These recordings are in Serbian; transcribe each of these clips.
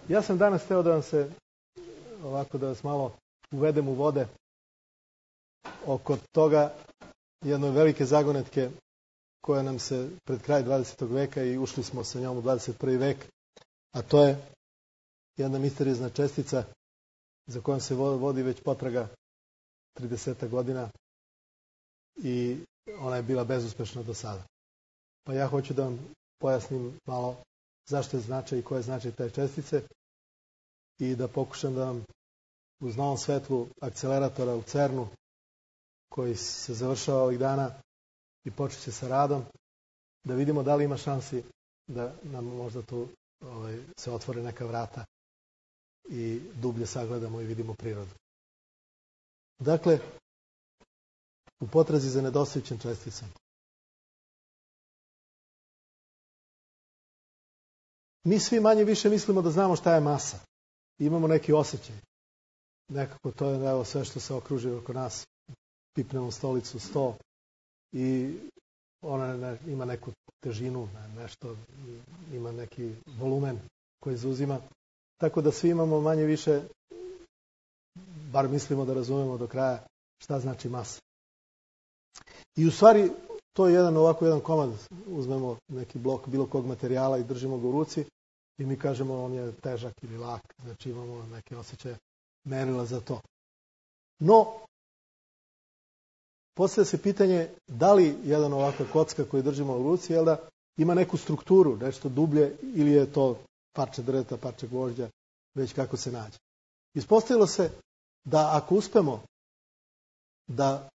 Ja sam danas hteo da vam se, ovako da vas malo uvedem u vode oko toga jedne velike zagonetke koja nam se pred kraj 20. veka i ušli smo sa njom u 21. vek, a to je jedna misteriozna čestica za kojom se vodi već potraga 30 godina i ona je bila bezuspešna do sada. Pa ja hoću da vam pojasnim malo zašto je značaj i koje je značaj te čestice i da pokušam da vam uz novom svetlu akceleratora u CERN-u koji se završava ovih dana i počet će sa radom, da vidimo da li ima šansi da nam možda tu se otvore neka vrata i dublje sagledamo i vidimo prirodu. Dakle, u potrazi za nedostajućim česticama. Mi svi manje više mislimo da znamo šta je masa. Imamo neki osjećaj. Nekako to je evo, sve što se okruži oko nas. Pipnemo stolicu, sto i ona ima neku težinu, nešto, ima neki volumen koji zauzima. Tako da svi imamo manje više, bar mislimo da razumemo do kraja šta znači masa. I u stvari to je jedan komad, uzmemo neki blok bilo kog materijala i držimo ga u ruci i mi kažemo on je težak ili lak, znači imamo neke osjećaje merila za to. No, postavlja se pitanje da li jedan ovakva kocka koju držimo u ruci ima neku strukturu, nešto dublje ili je to parče drveta, parče gvožđa, već kako se nađe. Ispostavilo se da ako uspemo da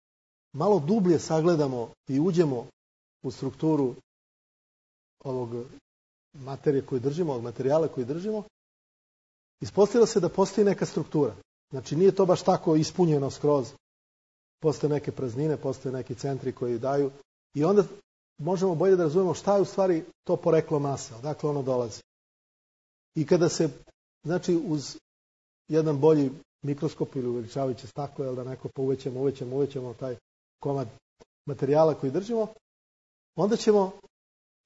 malo dublje sagledamo i uđemo u strukturu ovog materije koju držimo, ovog materijala koji držimo, ispostavilo se da postoji neka struktura. Znači nije to baš tako ispunjeno skroz. Postoje neke praznine, postoje neki centri koji daju i onda možemo bolje da razumemo šta je u stvari to poreklo mase, odakle ono dolazi. I kada se, znači uz jedan bolji mikroskop ili uveličavajuće staklo, da neko uvećamo taj komad materijala koji držimo, onda ćemo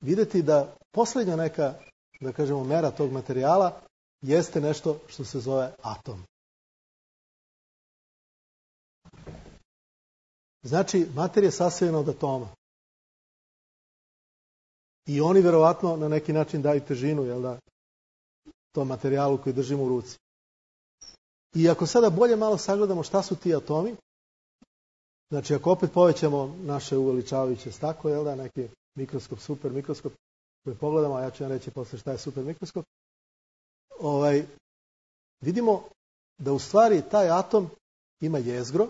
vidjeti da posljednja neka, da kažemo, mera tog materijala jeste nešto što se zove atom. Znači, materija je sastavljena od atoma. I oni verovatno na neki način daju težinu, tom materijalu koji držimo u ruci. I ako sada bolje malo sagledamo šta su ti atomi, znači ako opet povećamo naše uveličavajuće staklo, neki mikroskop, super mikroskop, koji pogledamo, a ja ću vam reći posle šta je super mikroskop, vidimo da u stvari taj atom ima jezgro,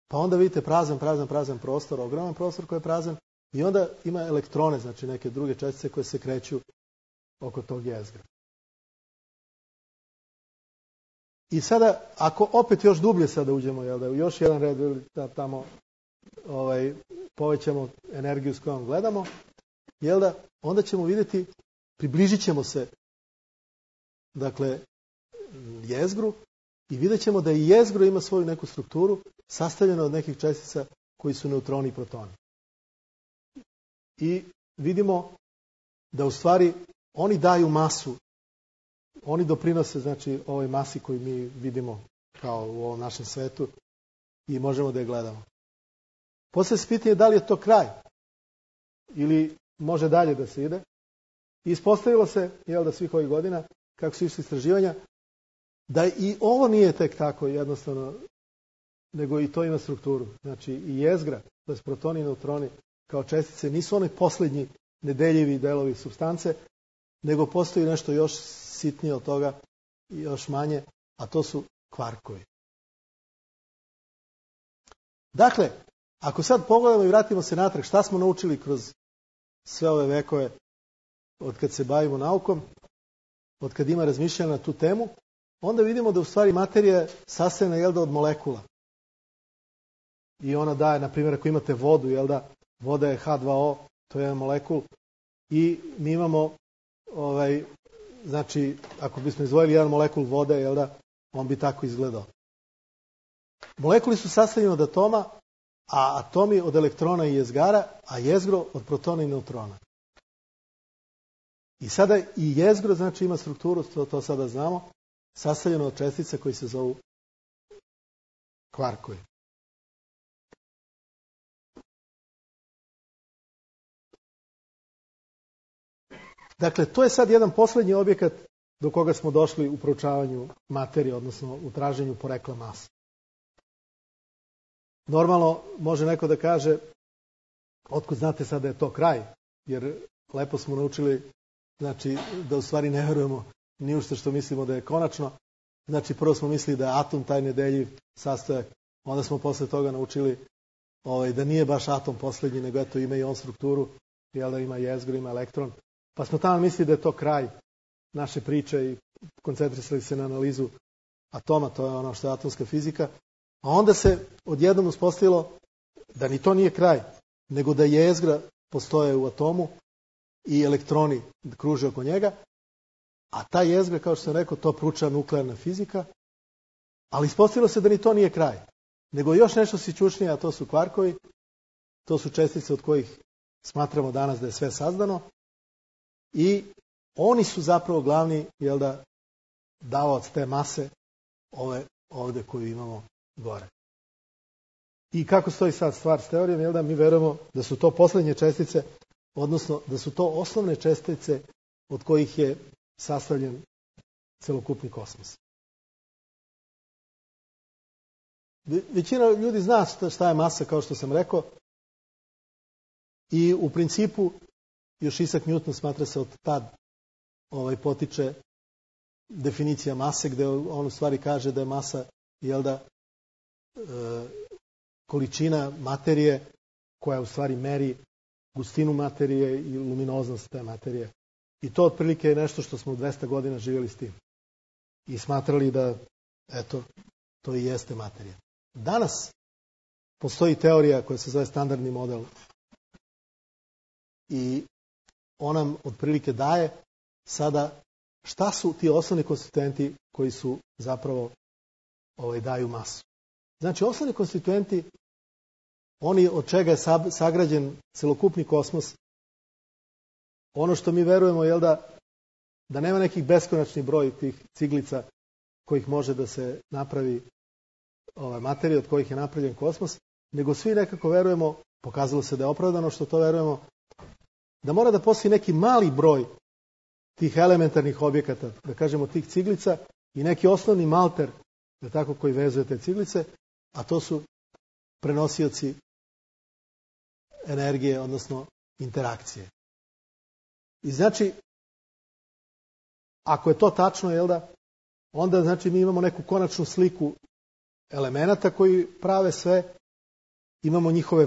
pa onda vidite prazan prostor, ogroman prostor koji je prazan, i onda ima elektrone, znači neke druge čestice koje se kreću oko tog jezgra. I sada, ako opet još dublje sada uđemo, u još jedan red tamo povećamo energiju s kojom gledamo, onda ćemo vidjeti, približit ćemo se, dakle, jezgru i vidjet ćemo da i jezgro ima svoju neku strukturu sastavljeno od nekih čestica koji su neutroni i protoni. I vidimo da u stvari oni daju masu, oni doprinose, znači, ovoj masi koju mi vidimo kao u ovom našem svetu i možemo da je gledamo. Poslije se pitanje da li je to kraj ili može dalje da se ide. I ispostavilo se, da svih ovih godina, kako su išli istraživanja, da i ovo nije tek tako jednostavno, nego i to ima strukturu. Znači i jezgra, to je protoni i neutroni kao čestice, nisu oni posljednji nedeljivi delovi supstance, nego postoji nešto još sitnije od toga i još manje, a to su kvarkovi. Dakle, ako sad pogledamo i vratimo se natrag, šta smo naučili kroz sve ove vekove od kad se bavimo naukom, od kad ima razmišljanja na tu temu, onda vidimo da u stvari materija je sastavljena od molekula. I ona daje, na primjer, ako imate vodu, voda je H2O, to je jedan molekul, i mi imamo, znači, ako bismo izdvojili jedan molekul vode, on bi tako izgledao. Molekuli su sastavljeni od atoma, a atomi od elektrona i jezgara, a jezgro od protona i neutrona. I sada i jezgro, znači, ima strukturu, to sada znamo, sastavljeno od čestica koji se zovu kvarkovi. Dakle, to je sad jedan poslednji objekat do koga smo došli u proučavanju materije, odnosno u traženju porekla mase. Normalno, može neko da kaže, otkud znate sad da je to kraj, jer lepo smo naučili, znači, da u stvari ne verujemo ni u što mislimo da je konačno. Znači, prvo smo mislili da je atom taj nedeljiv sastojak, onda smo posle toga naučili da nije baš atom poslednji, nego eto ima i on strukturu, jel da ima jezgro, ima elektron. Pa smo tamo mislili da je to kraj naše priče i koncentrisali se na analizu atoma, to je ono što je atomska fizika. A onda se odjednom uspostavilo da ni to nije kraj, nego da jezgra postoje u atomu i elektroni kruže oko njega, a ta jezgra, kao što sam rekao, to proučava nuklearna fizika, ali ispostavilo se da ni to nije kraj, nego još nešto sićušnije, a to su kvarkovi, to su čestice od kojih smatramo danas da je sve sazdano i oni su zapravo glavni, jel da, davaoc te mase ove ovde koju imamo gore. I kako stoji sad stvar s teorijom, jel da, mi verujemo da su to poslednje čestice, odnosno da su to osnovne čestice od kojih je sastavljen celokupni kosmos. Većina ljudi zna šta je masa, kao što sam rekao, i u principu još Isaac Newton smatra se od tad potiče definicija mase, gde on u stvari kaže da je masa, jel da, količina materije koja u stvari meri gustinu materije i luminoznost te materije. I to otprilike je nešto što smo 200 godina živjeli s tim. I smatrali da, eto, to i jeste materija. Danas postoji teorija koja se zove standardni model i on nam otprilike daje sada šta su ti osnovni konstituenti koji su zapravo daju masu. Znači, osnovni konstituenti, oni od čega je sagrađen celokupni kosmos, ono što mi verujemo, jel da nema nekih beskonačni broj tih ciglica kojih može da se napravi materija od kojih je napravljen kosmos, nego svi nekako verujemo, pokazalo se da je opravdano što to verujemo, da mora da postoji neki mali broj tih elementarnih objekata, da kažemo tih ciglica i neki osnovni malter, da tako, koji vezuje te ciglice, a to su prenosioci energije, odnosno interakcije. I znači, ako je to tačno, jel da, onda znači mi imamo neku konačnu sliku elemenata koji prave sve, imamo njihove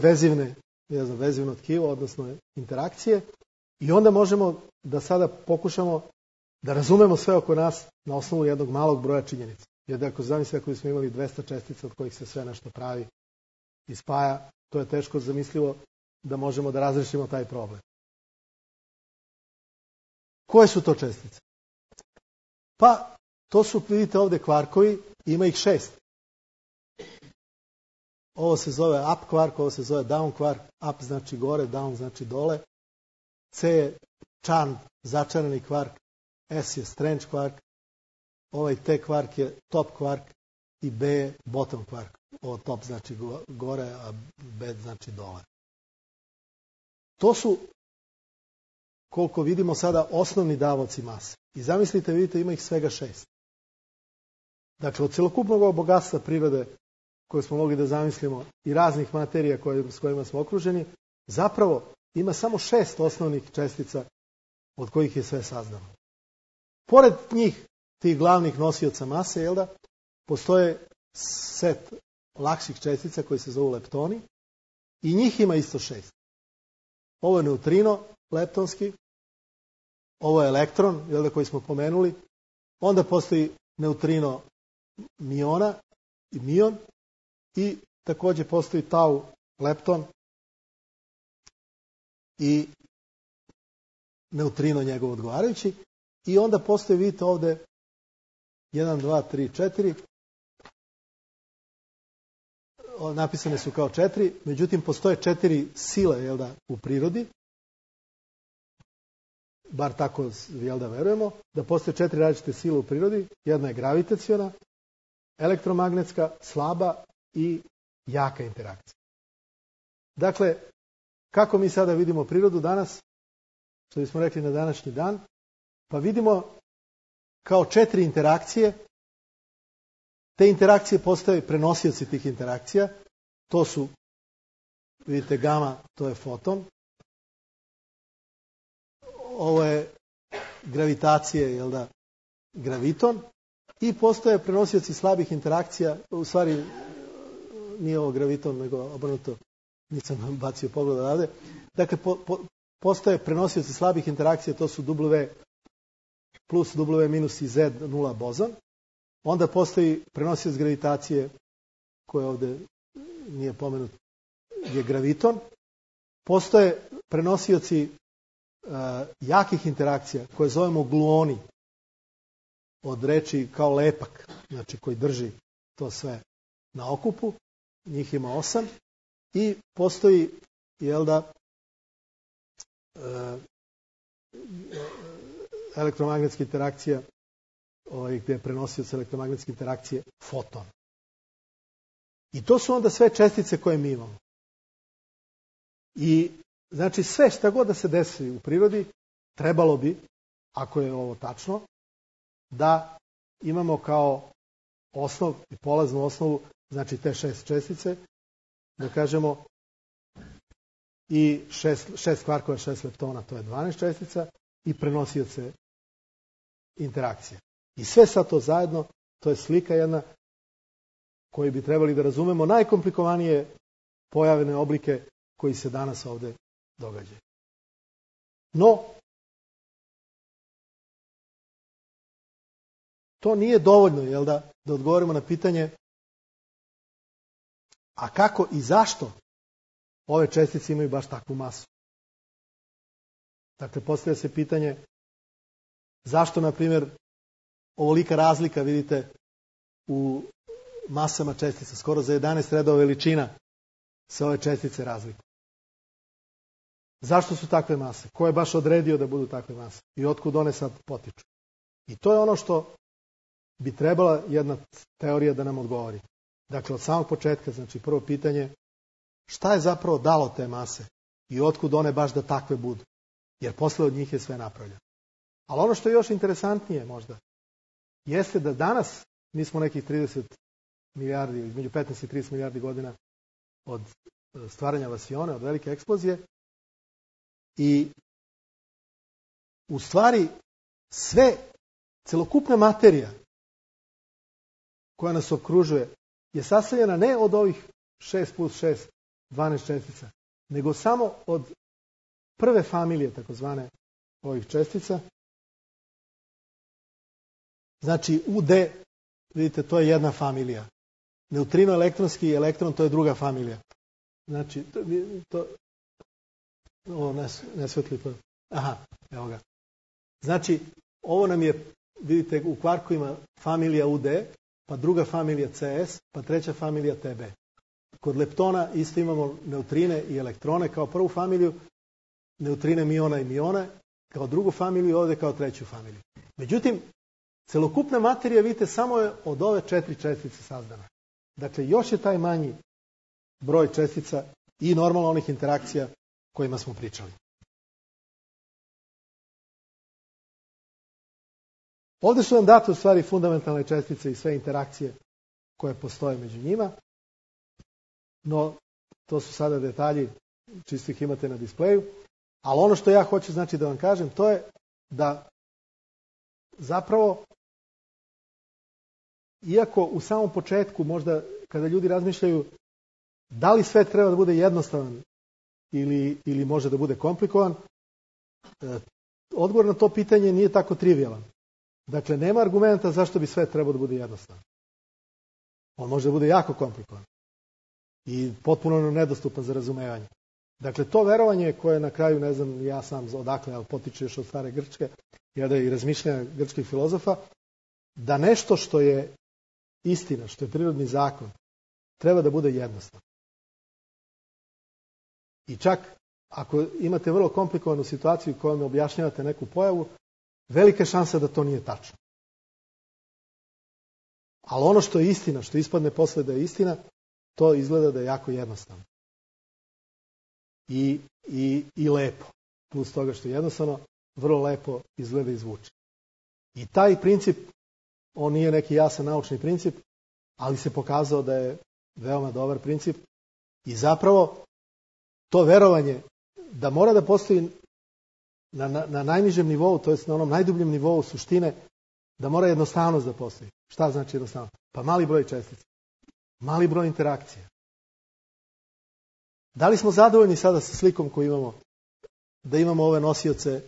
vezivno tkivo, odnosno interakcije, i onda možemo da sada pokušamo da razumemo sve oko nas na osnovu jednog malog broja činjenica. Jer ako zamislite, ako smo imali 200 čestica od kojih se sve nešto pravi i spaja, to je teško zamislivo da možemo da razrešimo taj problem. Koje su to čestice? Pa, to su, vidite ovde, kvarkovi, ima ih 6. Ovo se zove up kvark, ovo se zove down kvark, up znači gore, down znači dole, C je charmed, začarani kvark, S je strange kvark, ovaj T kvark je top kvark i B je bottom kvark. Ovo top znači gore, a B znači dole. To su, koliko vidimo sada, osnovni davaoci mase. I zamislite, vidite, ima ih svega 6. Dakle, od celokupnog ovog bogatstva prirode koje smo mogli da zamislimo i raznih materija s kojima smo okruženi, zapravo ima samo 6 osnovnih čestica od kojih je sve sazdano. Pored njih, tih glavnih nosioca mase, jel da, postoje set lakših čestica koji se zovu leptoni i njih ima isto 6. Ovo je neutrino leptonski, ovo je elektron, jel da, koji smo pomenuli, onda postoji neutrino miona i mion i takođe postoji tau lepton i neutrino njegov odgovarajući i onda postoji, vidite ovde, 1, 2, 3, 4, napisane su kao 4, međutim postoje 4 sile, jel da, u prirodi. bar tako da verujemo, da postoje 4 različite sile u prirodi. Jedna je gravitaciona, elektromagnetska, slaba i jaka interakcija. Dakle, kako mi sada vidimo prirodu danas, što bismo rekli na današnji dan, pa vidimo kao 4 interakcije. Te interakcije postaju prenosioci tih interakcija. To su, vidite, gama, to je foton. Ovo je gravitacije, graviton. I postoje prenosioci slabih interakcija. U stvari, nije ovo graviton, nego obrnuto, nisam bacio pogled odavde. Dakle, postoje prenosioci slabih interakcija, to su W plus, W minus i Z nula bozon. Onda postoji prenosioc gravitacije, koji ovdje nije pomenut, je graviton. Postoje prenosioci jakih interakcija, koje zovemo gluoni, od reči kao lepak, znači koji drži to sve na okupu. Njih ima 8. I postoji, elektromagnetska interakcija, gdje je prenosioc elektromagnetske interakcije foton. I to su onda sve čestice koje mi imamo. I znači sve šta god da se desi u prirodi, trebalo bi, ako je ovo tačno, da imamo kao osnov i polaznu osnovu, znači te 6 čestice, da kažemo, i 6 kvarkova, 6 leptona, to je 12 čestica, i prenosioce interakcije. I sve sad to zajedno, to je slika jedna koju bi trebali da razumemo najkomplikovanije pojavne oblike koji se danas ovdje događaju. No, to nije dovoljno, da odgovorimo na pitanje a kako i zašto ove čestice imaju baš takvu masu. Dakle, postavlja se pitanje zašto, na primjer, ovolika razlika, vidite, u masama čestica, skoro za 11 redova veličina se ove čestice razlikuju. Zašto su takve mase? Ko je baš odredio da budu takve mase? I otkud one sad potiču? I to je ono što bi trebala jedna teorija da nam odgovori. Dakle, od samog početka, znači prvo pitanje, šta je zapravo dalo te mase i otkud one baš da takve budu? Jer posle od njih je sve napravljeno. Ali ono što je još interesantnije možda, jeste da danas, mi smo nekih 30 milijardi, između 15 i 30 milijardi godina od stvaranja vasione, od velike eksplozije, i u stvari sve, celokupna materija koja nas okružuje je sastavljena ne od ovih 6 plus 6, 12 čestica, nego samo od prve familije, takozvane, ovih čestica. Ovo UD, vidite, to je jedna familija. Neutrino, elektronski i elektron, to je druga familija. Znači, ovo ne svetli to. Aha, evo ga. Znači, ovo nam je, vidite, u kvarkovima familija UD, pa druga familija CS, pa treća familija TB. Kod leptona isto imamo neutrine i elektrone kao prvu familiju, neutrine, miona i mione, kao drugu familiju i ovdje kao treću familiju. Međutim, celokupna materija, vidite, samo je od ove 4 čestice sazdana. Dakle, još je taj manji broj čestica i normalno onih interakcija kojima smo pričali. Ovdje su nam date u stvari fundamentalne čestice i sve interakcije koje postoje među njima, no to su sada detalji, čisto ih imate na displeju, ali ono što ja hoću znači da vam kažem, to je da zapravo, iako u samom početku možda kada ljudi razmišljaju da li svet treba da bude jednostavan ili može da bude komplikovan, odgovor na to pitanje nije tako trivijalan. Dakle, nema argumenta zašto bi svet trebao da bude jednostavan. On može da bude jako komplikovan i potpuno nedostupan za razumevanje. Dakle, to verovanje koje na kraju, ne znam ja sam odakle, ali potiče još od stare Grčke, i razmišljanja grčkih filozofa, da nešto što je istina, što je prirodni zakon, treba da bude jednostavno. I čak ako imate vrlo komplikovanu situaciju kojom objašnjavate neku pojavu, velika šansa da to nije tačno. Ali ono što je istina, što ispadne posle da je istina, to izgleda da je jako jednostavno. I lepo. Plus toga što je jednostavno, vrlo lepo izgleda i zvuči. I taj princip, on nije neki jasan naučni princip, ali se pokazao da je veoma dobar princip. I zapravo to verovanje da mora da postoji na najnižem nivou, to jest na onom najdubljem nivou suštine, da mora jednostavnost da postoji. Šta znači jednostavnost? Pa mali broj čestica, mali broj interakcija. Da li smo zadovoljni sada sa slikom koju imamo? Da imamo ove nosioce,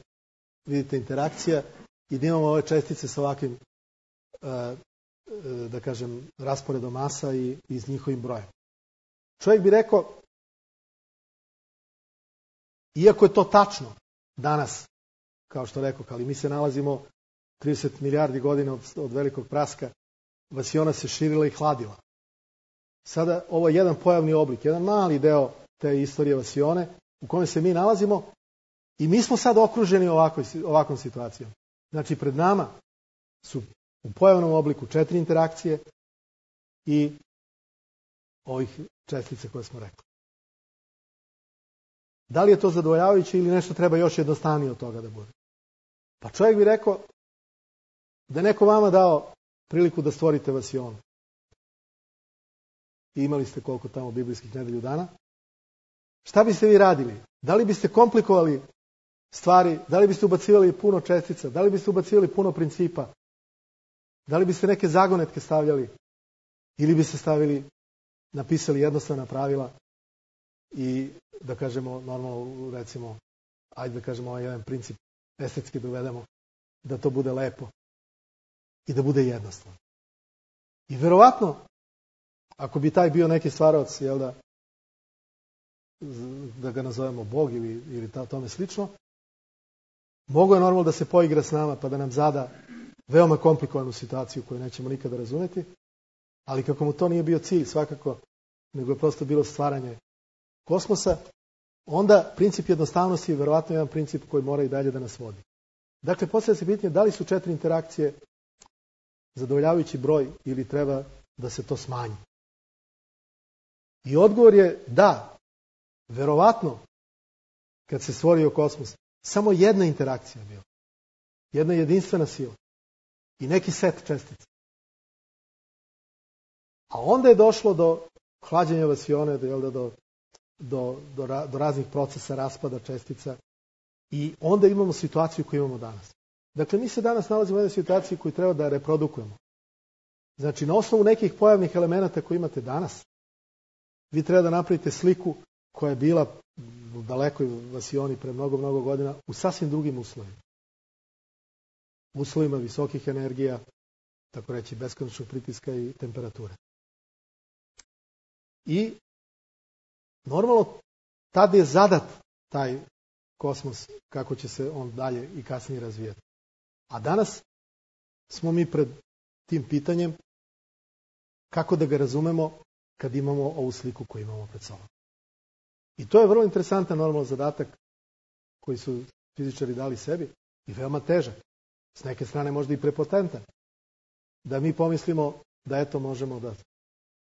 vidite, interakcija i da imamo ove čestice sa ovakvim, da kažem, rasporedom masa i s njihovim brojem. Čovjek bi rekao, iako je to tačno danas, kao što rekao, ali mi se nalazimo 30 milijardi godina od velikog praska, vasiona se širila i hladila. Sada ovo je jedan pojavni oblik, jedan mali deo te istorije vasione u kome se mi nalazimo i mi smo sad okruženi ovakvom situacijom. Znači, pred nama su u pojavnom obliku 4 interakcije i ovih čestice koje smo rekli. Da li je to zadovoljavajuće ili nešto treba još jednostavnije od toga da bude? Pa čovjek bi rekao da je neko vama dao priliku da stvorite vasionu. I imali ste koliko tamo biblijskih nedelju dana. Šta biste vi radili? Da li biste komplikovali stvari? Da li biste ubacivali puno čestica? Da li biste ubacivali puno principa? Da li biste neke zagonetke stavljali? Ili biste napisali jednostavna pravila i, da kažemo, normalno, recimo, ajde da kažemo ovaj jedan princip estetski dovedemo, da to bude lepo i da bude jednostavno. I verovatno, ako bi taj bio neki stvaraoc, jel da ga nazovemo Bog ili tome slično, mogo je normalno da se poigra s nama pa da nam zada veoma komplikovanu situaciju koju nećemo nikada razumeti, ali kako mu to nije bio cilj svakako, nego je prosto bilo stvaranje kosmosa, onda princip jednostavnosti je verovatno jedan princip koji mora i dalje da nas vodi. Dakle, postavlja se pitanje da li su 4 interakcije zadovoljavajući broj ili treba da se to smanji. I odgovor je da, verovatno, kad se stvorio kosmos, samo jedna interakcija je bila. Jedna jedinstvena sila. I neki set čestica. A onda je došlo do hlađenja vasione, do raznih procesa raspada čestica. I onda imamo situaciju koju imamo danas. Dakle, mi se danas nalazimo u jednoj situaciji koju treba da reprodukujemo. Znači, na osnovu nekih pojavnih elemenata koje imate danas, vi treba da napravite sliku koja je bila u dalekoj vasioni pre mnogo, mnogo godina u sasvim drugim uslovima. Uslovima visokih energija, tako reći beskonačnog pritiska i temperature. I normalno tada je zadat taj kosmos kako će se on dalje i kasnije razvijati. A danas smo mi pred tim pitanjem kako da ga razumemo kad imamo ovu sliku koju imamo pred sobom. I to je vrlo interesantan normalno zadatak koji su fizičari dali sebi i veoma težak. S neke strane možda i prepotentan. Da mi pomislimo da eto možemo da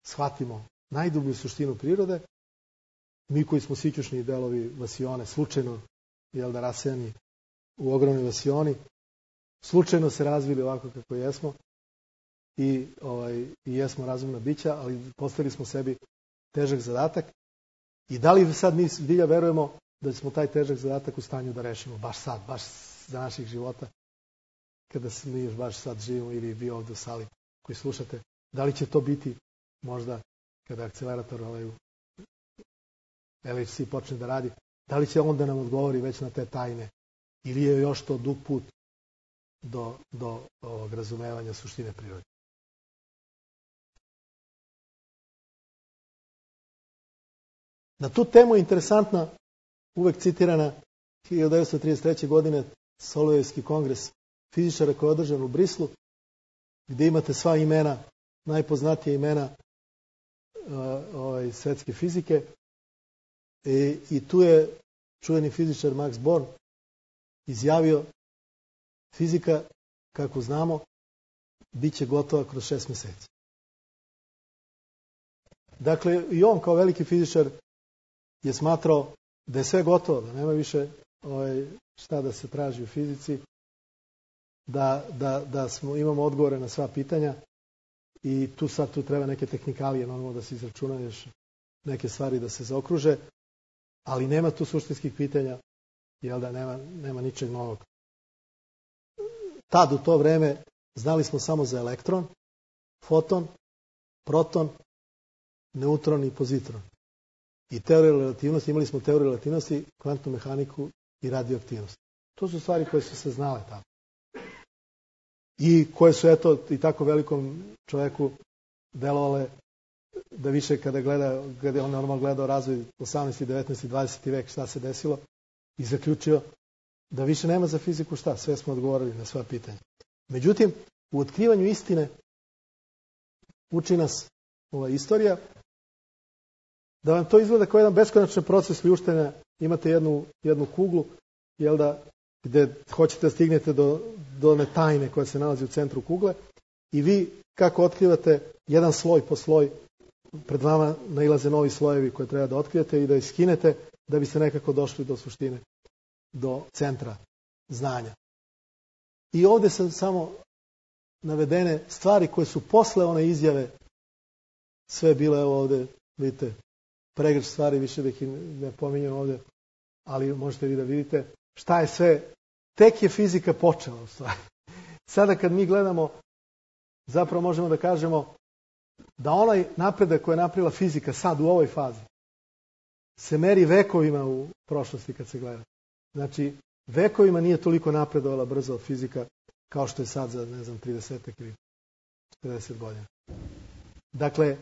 shvatimo najdublju suštinu prirode, mi koji smo sićušni delovi vasione, slučajno rasejani u ogromnoj vasioni, slučajno se razvili ovako kako jesmo i jesmo razumna bića, ali postavili smo sebi težak zadatak. I da li sad mi zbilja verujemo da smo taj težak zadatak u stanju da rešimo baš sad, baš za naših života, kada mi još baš sad živimo ili vi ovdje u sali koji slušate, da li će to biti možda kada akcelerator LHC počne da radi, da li će on da nam odgovori već na te tajne ili je još to dug put do ovog razumevanja suštine prirode. Na tu temu je interesantna, uvek citirana 1933. godine Solujevski kongres fizičara koji je održan u Brislu, gdje imate sva imena, najpoznatija imena svetske fizike i tu je čuveni fizičar Max Born izjavio fizika, kako znamo, bit će gotova kroz 6 mjeseci. Dakle, i on kao veliki fizičar je smatrao da je sve gotovo, da nema više šta da se traži u fizici, da imamo odgovore na sva pitanja i tu treba neke tehnikalije, normalno da se izračuna još neke stvari da se zaokruže, ali nema tu suštinskih pitanja, jel da nema ničeg novog. Tad u to vreme znali smo samo za elektron, foton, proton, neutron i pozitron. I teoriju relativnosti, imali smo teoriju relativnosti, kvantnu mehaniku i radioaktivnost. To su stvari koje su se znale tamo. I koje su, eto, i tako velikom čovjeku delovale da više kada je on normalno gledao razvoj 18. 19. 20. vek šta se desilo i zaključio da više nema za fiziku šta, sve smo odgovorili na sva pitanja. Međutim, u otkrivanju istine uči nas ova istorija da vam to izgleda kao jedan beskonačni proces ljuštenja. Imate jednu kuglu, jel da, gdje hoćete da stignete do one tajne koja se nalazi u centru kugle i vi kako otkrivate jedan sloj po sloj, pred vama nailaze novi slojevi koje treba da otkrijete i da ih skinete da biste nekako došli do suštine, do centra znanja. I ovdje su samo navedene stvari koje su posle one izjave sve bile, evo ovdje, vidite, pregršt stvari, više da ih ne pominjem ovdje, ali možete vi da vidite šta je sve, tek je fizika počela u stvari. Sada kad mi gledamo, zapravo možemo da kažemo da onaj napredak koji je napravila fizika sad u ovoj fazi se meri vekovima u prošlosti kad se gleda. Znači, vekovima nije toliko napredovala brzo fizika kao što je sad za, 30 ili 40 godina. Dakle,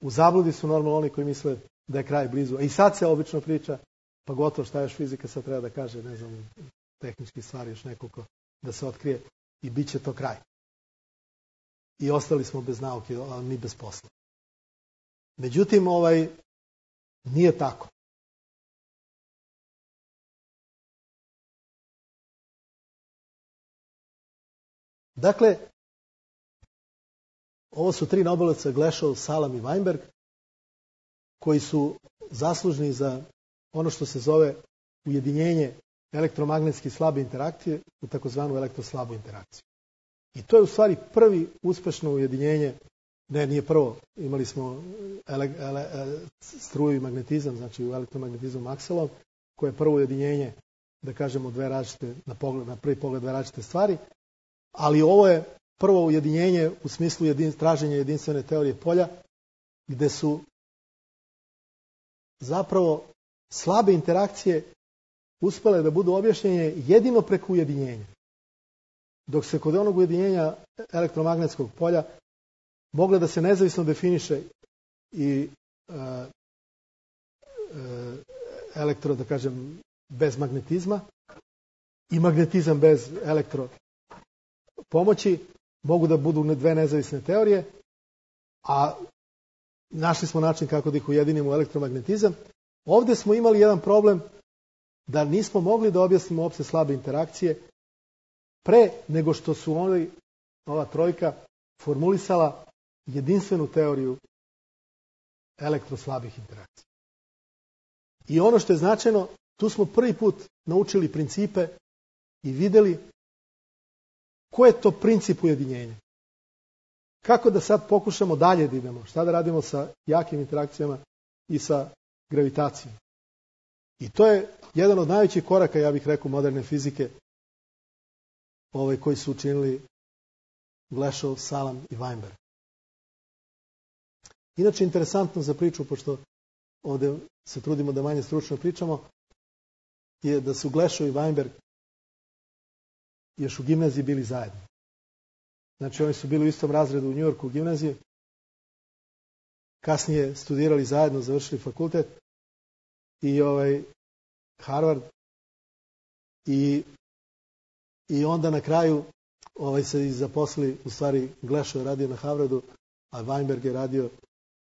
u zabludi su normalno oni koji misle da je kraj blizu. I sad se obično priča, pa gotovo šta još fizika sad treba da kaže, tehnički stvari još nekoliko da se otkrije i bit će to kraj. I ostali smo bez nauke, ali mi bez posla. Međutim, nije tako. Dakle, ovo su 3 Nobelovca, Glashow, Salam i Weinberg, koji su zaslužni za ono što se zove ujedinjenje elektromagnetski slabe interakcije u takozvanu elektroslabu interakciju. I to je u stvari prvi uspešno ujedinjenje, nije prvo, imali smo struju i magnetizam, znači u elektromagnetizmu Maxwellov, koje je prvo ujedinjenje, da kažemo, dve različite, na prvi pogled dve različite stvari, ali ovo je prvo ujedinjenje u smislu traženja jedinstvene teorije polja, gde su zapravo slabe interakcije uspjele da budu objašnjene jedino preko ujedinjenja. Dok se kod onog ujedinjenja elektromagnetskog polja mogla da se nezavisno definiše i elektro, da kažem, bez magnetizma i magnetizam bez elektro pomoći, mogu da budu dve nezavisne teorije, a našli smo način kako da ih ujedinimo u elektromagnetizam. Ovdje smo imali jedan problem da nismo mogli da objasnimo uopšte slabe interakcije pre nego što su ova trojka formulisala jedinstvenu teoriju elektroslabih interakcija. I ono što je značajno, tu smo prvi put naučili principe i vidjeli ko je to princip ujedinjenja. Kako da sad pokušamo dalje da idemo, šta da radimo sa jakim interakcijama i sa gravitacijom. I to je jedan od najvećih koraka, ja bih rekao, moderne fizike, koji su učinili Glashow, Salam i Weinberg. Inače, interesantno za priču, pošto ovdje se trudimo da manje stručno pričamo, je da su Glashow i Weinberg još u gimnaziji bili zajedno. Znači, oni su bili u istom razredu u New Yorku u gimnaziji, kasnije studirali zajedno, završili fakultet i Harvard i onda na kraju se zaposlili, u stvari Glashow je radio na Harvardu, a Weinberg je radio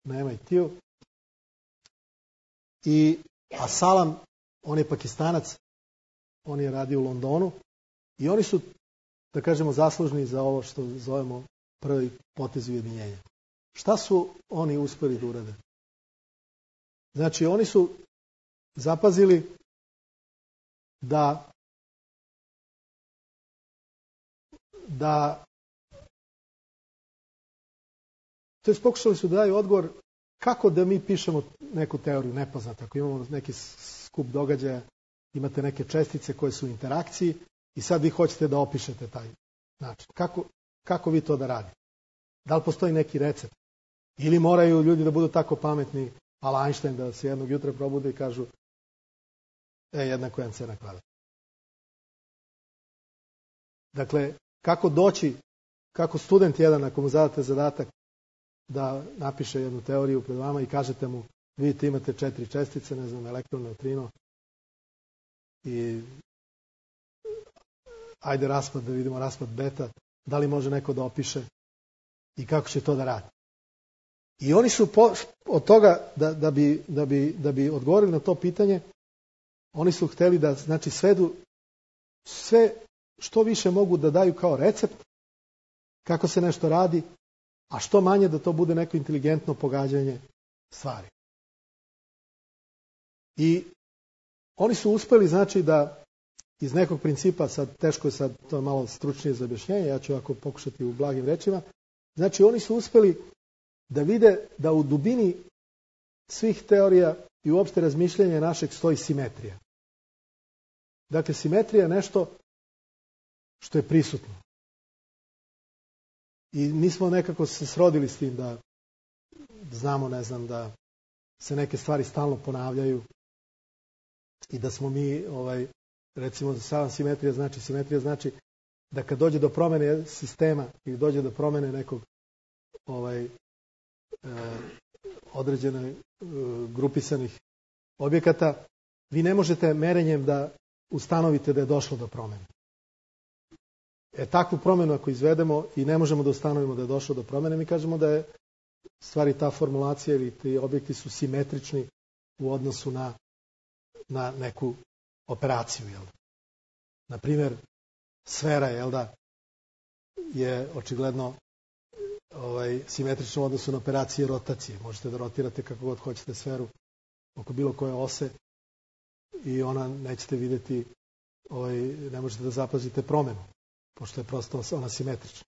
na MIT-u. A Salam On je Pakistanac, on je radio u Londonu i oni su, da kažemo, zaslužni za ovo što zovemo prvi potez ujedinjenja. Šta su oni uspeli da urade? Znači, oni su zapazili da to je pokušali su da daju odgovor kako da mi pišemo neku teoriju nepoznata. Ako imamo neki skup događaja, imate neke čestice koje su u interakciji i sad vi hoćete da opišete taj način. Kako vi to da radite? Da li postoji neki recept? Ili moraju ljudi da budu tako pametni, ala Einstein, da se jednog jutra probude i kažu jednako je mc na kvadrat. Dakle, kako doći, kako student jedan, ako mu zadate zadatak da napiše jednu teoriju pred vama i kažete mu, vidite imate 4 čestice, ne znam, elektron, neutrino i ajde raspad, da vidimo raspad beta, da li može neko da opiše i kako će to da radi. I oni su od toga, da bi odgovorili na to pitanje, oni su hteli da, znači, svedu sve što više mogu da daju kao recept kako se nešto radi, a što manje da to bude neko inteligentno pogađanje stvari. I oni su uspeli, znači, da iz nekog principa, sad teško je sad, to je malo stručnije za objašnjenje, ja ću ovako pokušati u blagim rečima, znači oni su uspeli da vide da u dubini svih teorija i uopšte razmišljanja našeg stoji simetrija. Dakle, simetrija je nešto što je prisutno. I mi smo nekako se srodili s tim da znamo, ne znam, da se neke stvari stalno ponavljaju i da smo mi, recimo, sama simetrija znači da kad dođe do promene sistema ili dođe do promene nekog određene grupisanih objekata, vi ne možete merenjem da ustanovite da je došlo do promene. Takvu promenu ako izvedemo i ne možemo da ustanovimo da je došlo do promene, mi kažemo da je stvari ta formulacija ili ti objekti su simetrični u odnosu na neku operaciju. Jel da? Naprimjer, sfera je očigledno simetrična u odnosu na operacije rotacije. Možete da rotirate kako god hoćete sferu oko bilo koje ose i ona nećete vidjeti, ne možete da zapazite promenu, pošto je prosto ona simetrična.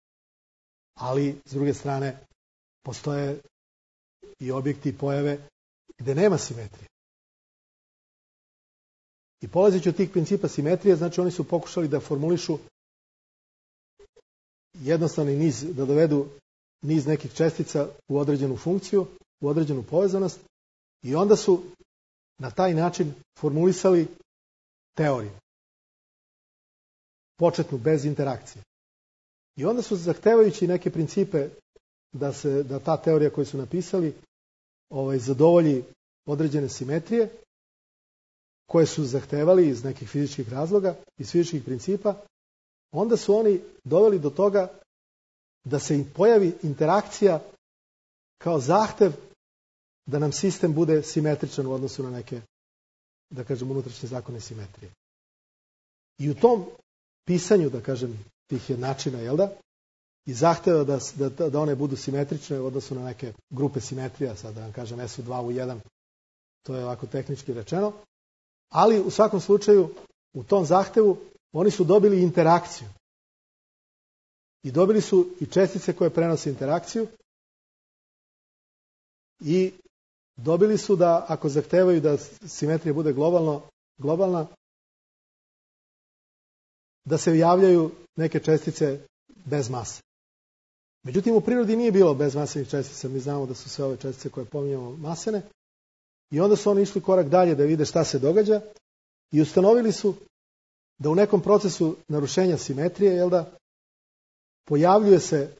Ali, s druge strane, postoje i objekti i pojave gde nema simetrije. I polazeći od tih principa simetrije, znači oni su pokušali da formulišu jednostavni niz, da dovedu niz nekih čestica u određenu funkciju, u određenu povezanost i onda su na taj način formulisali teoriju. Početnu, bez interakcije. I onda su, zahtevajući neke principe da ta teorija koju su napisali zadovolji određene simetrije koje su zahtevali iz nekih fizičkih razloga, iz fizičkih principa, onda su oni doveli do toga da se pojavi interakcija kao zahtev da nam sistem bude simetričan u odnosu na neke, da kažem, unutrašnje zakone simetrije. I u tom pisanju, da kažem, tih jednačina, jel da? I zahteva da one budu simetrične u odnosu na neke grupe simetrija, sad da vam kažem S u 2 u 1, to je ovako tehnički rečeno, ali u svakom slučaju u tom zahtevu oni su dobili interakciju. I dobili su i čestice koje prenose interakciju i dobili su da, ako zahtevaju da simetrija bude globalna, da se javljaju neke čestice bez mase. Međutim, u prirodi nije bilo bezmasenih čestica. Mi znamo da su sve ove čestice koje pominjamo masene. I onda su oni išli korak dalje da vide šta se događa i ustanovili su da u nekom procesu narušenja simetrije, jel da, pojavljuje se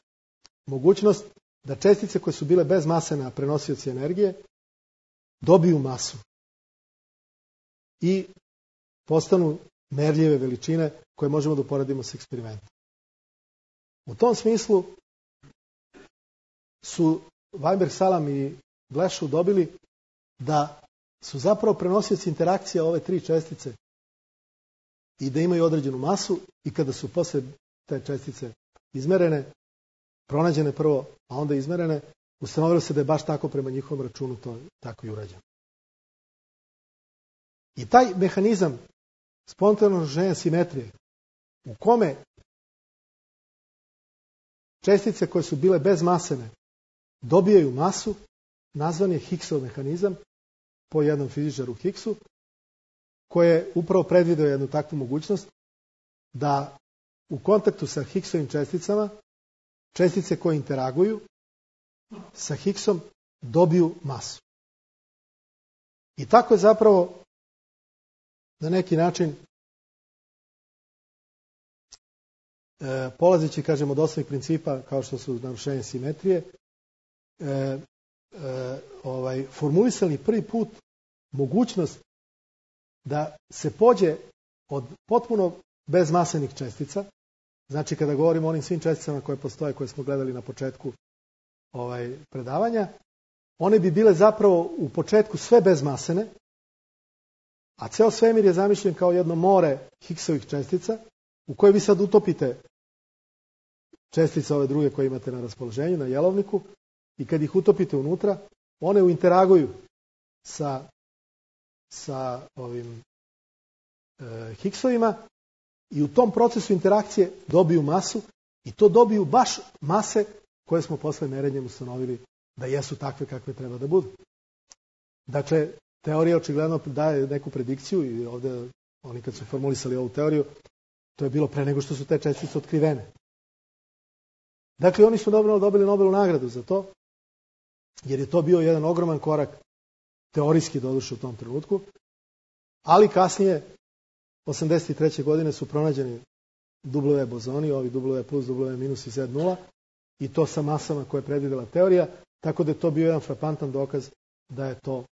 mogućnost da čestice koje su bile bez mase na prenosioci energije dobiju masu i postanu merljive veličine koje možemo da uporedimo s eksperimentom. U tom smislu su Weinberg, Salam i Glashow dobili da su zapravo prenosioci interakcija ove tri čestice i da imaju određenu masu i kada su posle te čestice izmerene, pronađene prvo, a onda izmerene, ustanovilo se da je baš tako prema njihovom računu to tako i urađeno. I taj mehanizam spontanog narušenja simetrije u kome čestice koje su bile bezmasene dobijaju masu, nazvan je Higgsov mehanizam po jednom fizičaru Higgsu, koji je upravo predvideo jednu takvu mogućnost da u kontaktu sa Higgsovim česticama čestice koje interaguju sa Higgsom dobiju masu. I tako je zapravo na neki način polazeći, kažemo, od osnovnih principa kao što su narušenje simetrije, formulisali prvi put mogućnost da se pođe od potpuno bezmasenih čestica. Znači, kada govorimo o onim svim česticama koje postoje, koje smo gledali na početku predavanja, one bi bile zapravo u početku sve bezmasene, a ceo svemir je zamišljen kao jedno more Higgsovih čestica, u koje vi sad utopite čestice ove druge koje imate na raspoloženju, na jelovniku, i kad ih utopite unutra, one interaguju sa ovim Higgsovima i u tom procesu interakcije dobiju masu i to dobiju baš mase koje smo posle merenjem ustanovili da jesu takve kakve treba da budu. Dakle, teorija očigledno daje neku predikciju i ovdje oni kad su formulisali ovu teoriju, to je bilo pre nego što su te čestice otkrivene. Dakle, oni su dobili Nobelovu nagradu za to, jer je to bio jedan ogroman korak, teorijski doduše u tom trenutku, ali kasnije, 83. godine, su pronađeni W bozoni, ovi W plus, W minus i Z0, i to sa masama koje je predvidela teorija, tako da je to bio jedan frapantan dokaz da je to,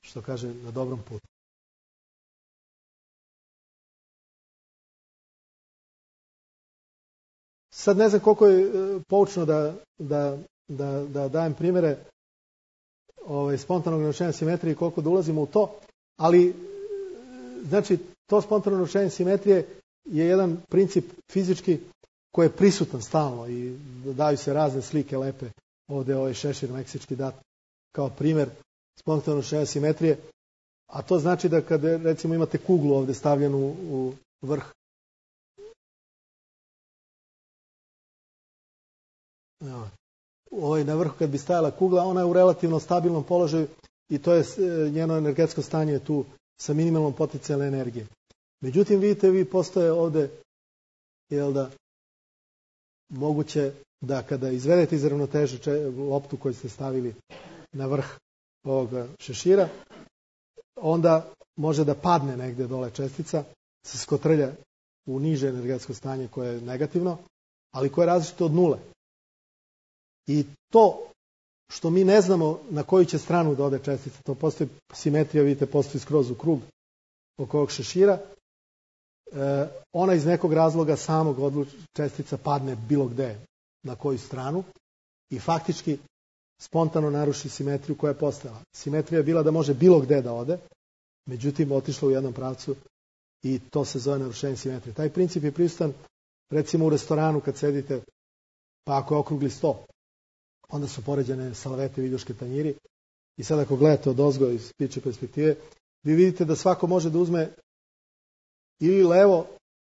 što kaže, na dobrom putu. Sad ne znam koliko je poučno da dajem primjere spontanog narušenja simetrije i koliko da ulazimo u to, ali znači to spontano narušenje simetrije je jedan princip fizički koji je prisutan stalno i daju se razne slike lepe. Ovdje je ovaj šešir meksički dat kao primjer spontanog narušenja simetrije, a to znači da kada recimo imate kuglu ovdje stavljenu u vrh na vrhu kad bi stajala kugla, ona je u relativno stabilnom položaju i to je njeno energetsko stanje tu sa minimalnom potencijalne energije. Međutim, vidite, vi postoje ovdje, moguće da kada izvedete iz ravnoteže loptu koju ste stavili na vrh ovoga šešira, onda može da padne negdje dole čestica, se skotrlja u niže energetsko stanje koje je negativno, ali koje je različito od nule. I to što mi ne znamo na koju će stranu da ode čestica, to postoji simetrija, vidite, postoji skroz u krug oko ovog šešira, ona iz nekog razloga samog čestica padne bilo gde, na koju stranu, i faktički spontano naruši simetriju koja je postojala. Simetrija je bila da može bilo gde da ode, međutim otišla u jednom pravcu i to se zove narušenje simetrije. Taj princip je prisutan recimo u restoranu kad sedite, pa ako je okrugli sto, onda su poređene salvete, viljuške, tanjiri, i sad ako gledate odozgo iz ptičje perspektive, vi vidite da svako može da uzme ili levo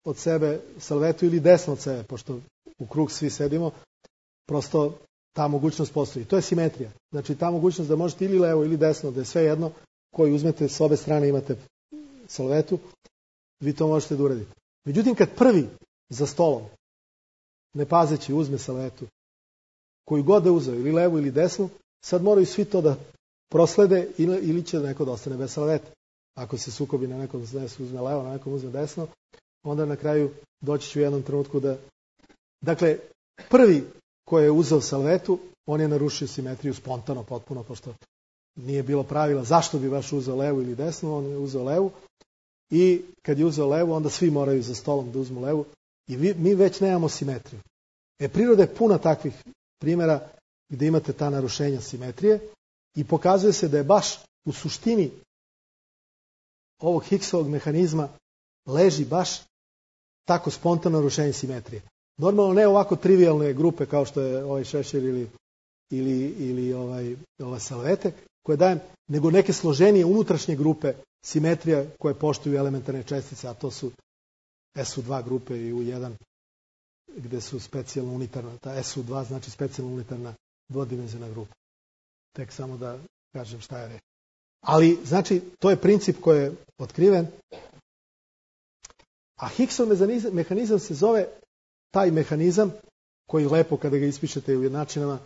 od sebe salvetu ili desno od sebe, pošto u krug svi sedimo, prosto ta mogućnost postoji. To je simetrija. Znači ta mogućnost da možete ili levo ili desno, da je sve jedno, koji uzmete s obe strane imate salvetu, vi to možete da uradite. Međutim, kad prvi za stolom, ne pazeći, uzme salvetu, koju god da uzeo, ili levu ili desnu, sad moraju svi to da proslede ili će neko da ostane bez salvete. Ako se sukobi na nekom uzme levo, na nekom uzme desno, onda na kraju doći će u jednom trenutku da... Dakle, prvi koji je uzeo salvetu, on je narušio simetriju spontano, potpuno, pošto nije bilo pravila zašto bi baš uzeo levu ili desnu, on je uzeo levu, i kad je uzeo levu, onda svi moraju za stolom da uzmu levu, i mi već nemamo simetriju. Priroda je puna takvih primjera gdje imate ta narušenja simetrije i pokazuje se da je baš u suštini ovog Higgsovog mehanizma leži baš tako spontano narušenje simetrije. Normalno ne ovako trivialne grupe kao što je ovaj šešir ili ova salvete koje dajem, nego neke složenije unutrašnje grupe simetrija koje poštuju elementarne čestice, a to su SU2 grupe i U1 gde su specijalno unitarna. Ta SU2 znači specijalno unitarna dvodimenzionalna grupa. Tek samo da kažem šta je reč. Ali, znači, to je princip koji je otkriven. A Higgsov mehanizam se zove taj mehanizam koji lepo kada ga ispišete u jednačinama,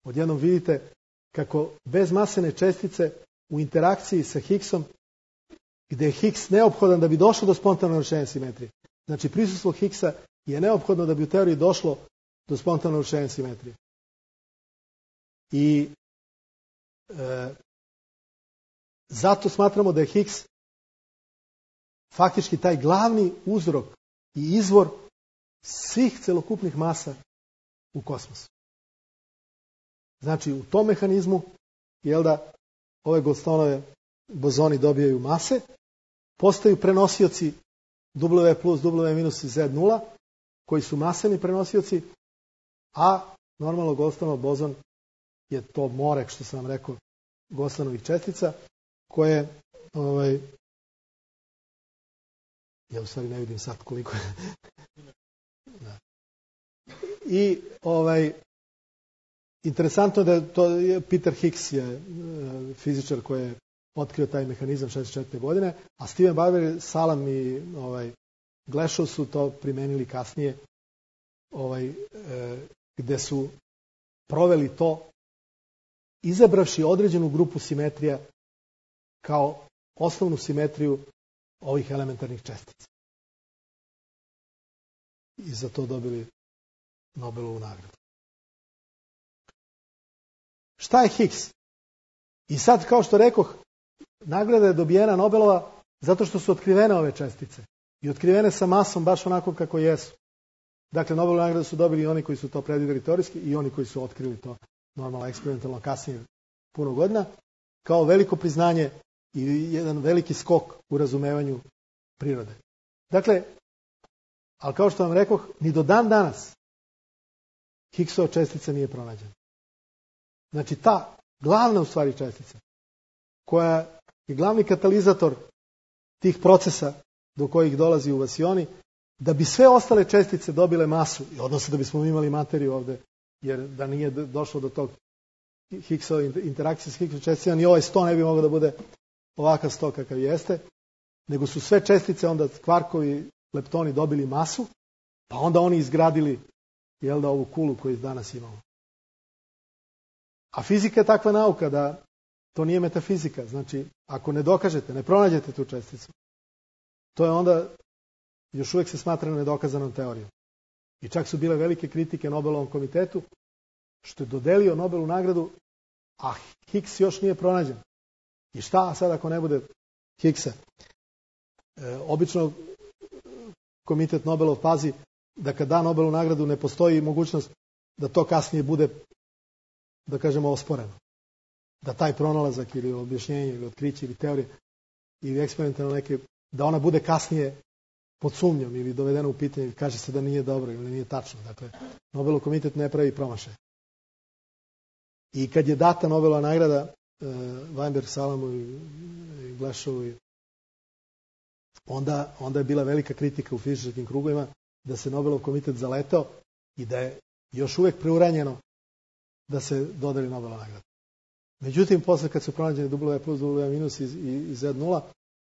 odjednom vidite kako bezmasene čestice u interakciji sa Higgsom, gde je Higgs neophodan da bi došlo do spontanog narušenja simetrije. Znači, prisustvo Higgsa je neophodno da bi u teoriji došlo do spontanog narušenja simetrije. I zato smatramo da je Higgs faktički taj glavni uzrok i izvor svih celokupnih masa u kosmosu. Znači, u tom mehanizmu, ove Goldstoneove bozoni dobijaju mase, postaju prenosioci W plus, W minus i Z0, koji su maseni prenosioci, a normalno Goldstoneov bozon je to more, što sam vam rekao, Goldstoneovih čestica, koje, ja u stvari ne vidim sad koliko je. Da. I interesantno da Peter Higgs je fizičar koji je otkrio taj mehanizam 64. godine, a Steven Barber, Salam i Glashow su to primenili kasnije, gde su proveli to izabravši određenu grupu simetrija kao osnovnu simetriju ovih elementarnih čestica. I za to dobili Nobelovu nagradu. Šta je Higgs? I sad, kao što rekoh, nagrada je dobijena Nobelova zato što su otkrivene ove čestice. I otkrivene sa masom baš onako kako jesu. Dakle, Nobelovu nagradu su dobili i oni koji su to predvideli teorijski i oni koji su otkrili to normalno eksperimentalno kasnije puno godina, kao veliko priznanje i jedan veliki skok u razumevanju prirode. Dakle, ali kao što vam rekoh, ni do dan danas Higgsova čestica nije pronađena. Znači, ta glavna u stvari čestica, koja je glavni katalizator tih procesa do kojih dolazi u vasioni, da bi sve ostale čestice dobile masu, odnosno da bismo imali materiju ovde, jer da nije došlo do tog Higgsova interakcije s Higgsovim česticama, ni ovaj sto ne bi mogao da bude ovakav sto kakav jeste, nego su sve čestice, onda kvarkovi, leptoni dobili masu, pa onda oni izgradili ovu kulu koju danas imamo. A fizika je takva nauka da to nije metafizika. Znači, ako ne dokažete, ne pronađete tu česticu, to je onda, još uvijek se smatra nedokazanom teorijom. I čak su bile velike kritike Nobelovom komitetu, što je dodelio Nobelovu nagradu, a Higgs još nije pronađen. I šta sad ako ne bude Higgsa? Obično komitet Nobelov pazi da kad da Nobelovu nagradu ne postoji mogućnost da to kasnije bude, da kažemo, osporeno. Da taj pronalazak ili objašnjenje ili otkriće ili teorije ili eksperimentalno neke, da ona bude kasnije pod sumnjom ili dovedena u pitanje, kaže se da nije dobro ili nije tačno. Dakle, Nobelov komitet ne pravi promašaj. I kad je data Nobelova nagrada Weinberg, Salamu i Glashovu, onda je bila velika kritika u fizičarskim krugovima da se Nobelov komitet zaletao i da je još uvijek preuranjeno da se dodeli Nobelova nagrada. Međutim, posle kad su pronađeni W plus, W minus i Z0,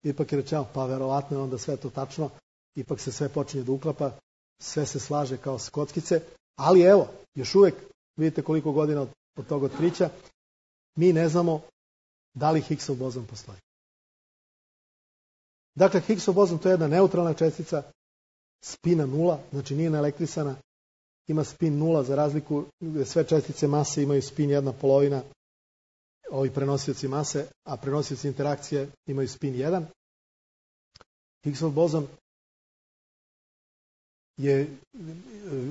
ipak je rečeno, pa verovatno je onda sve to tačno, ipak se sve počinje da uklapa, sve se slaže kao s kockice, ali evo, još uvijek, vidite koliko godina od tog otkrića, mi ne znamo da li Higgsov bozon postoji. Dakle, Higgsov bozon to je jedna neutralna čestica, spina 0, znači nije naelektrisana, ima spin 0 za razliku gde sve čestice mase imaju spin 1/2, ovi prenosioci mase, a prenosioci interakcije imaju spin 1. Higgsov bozon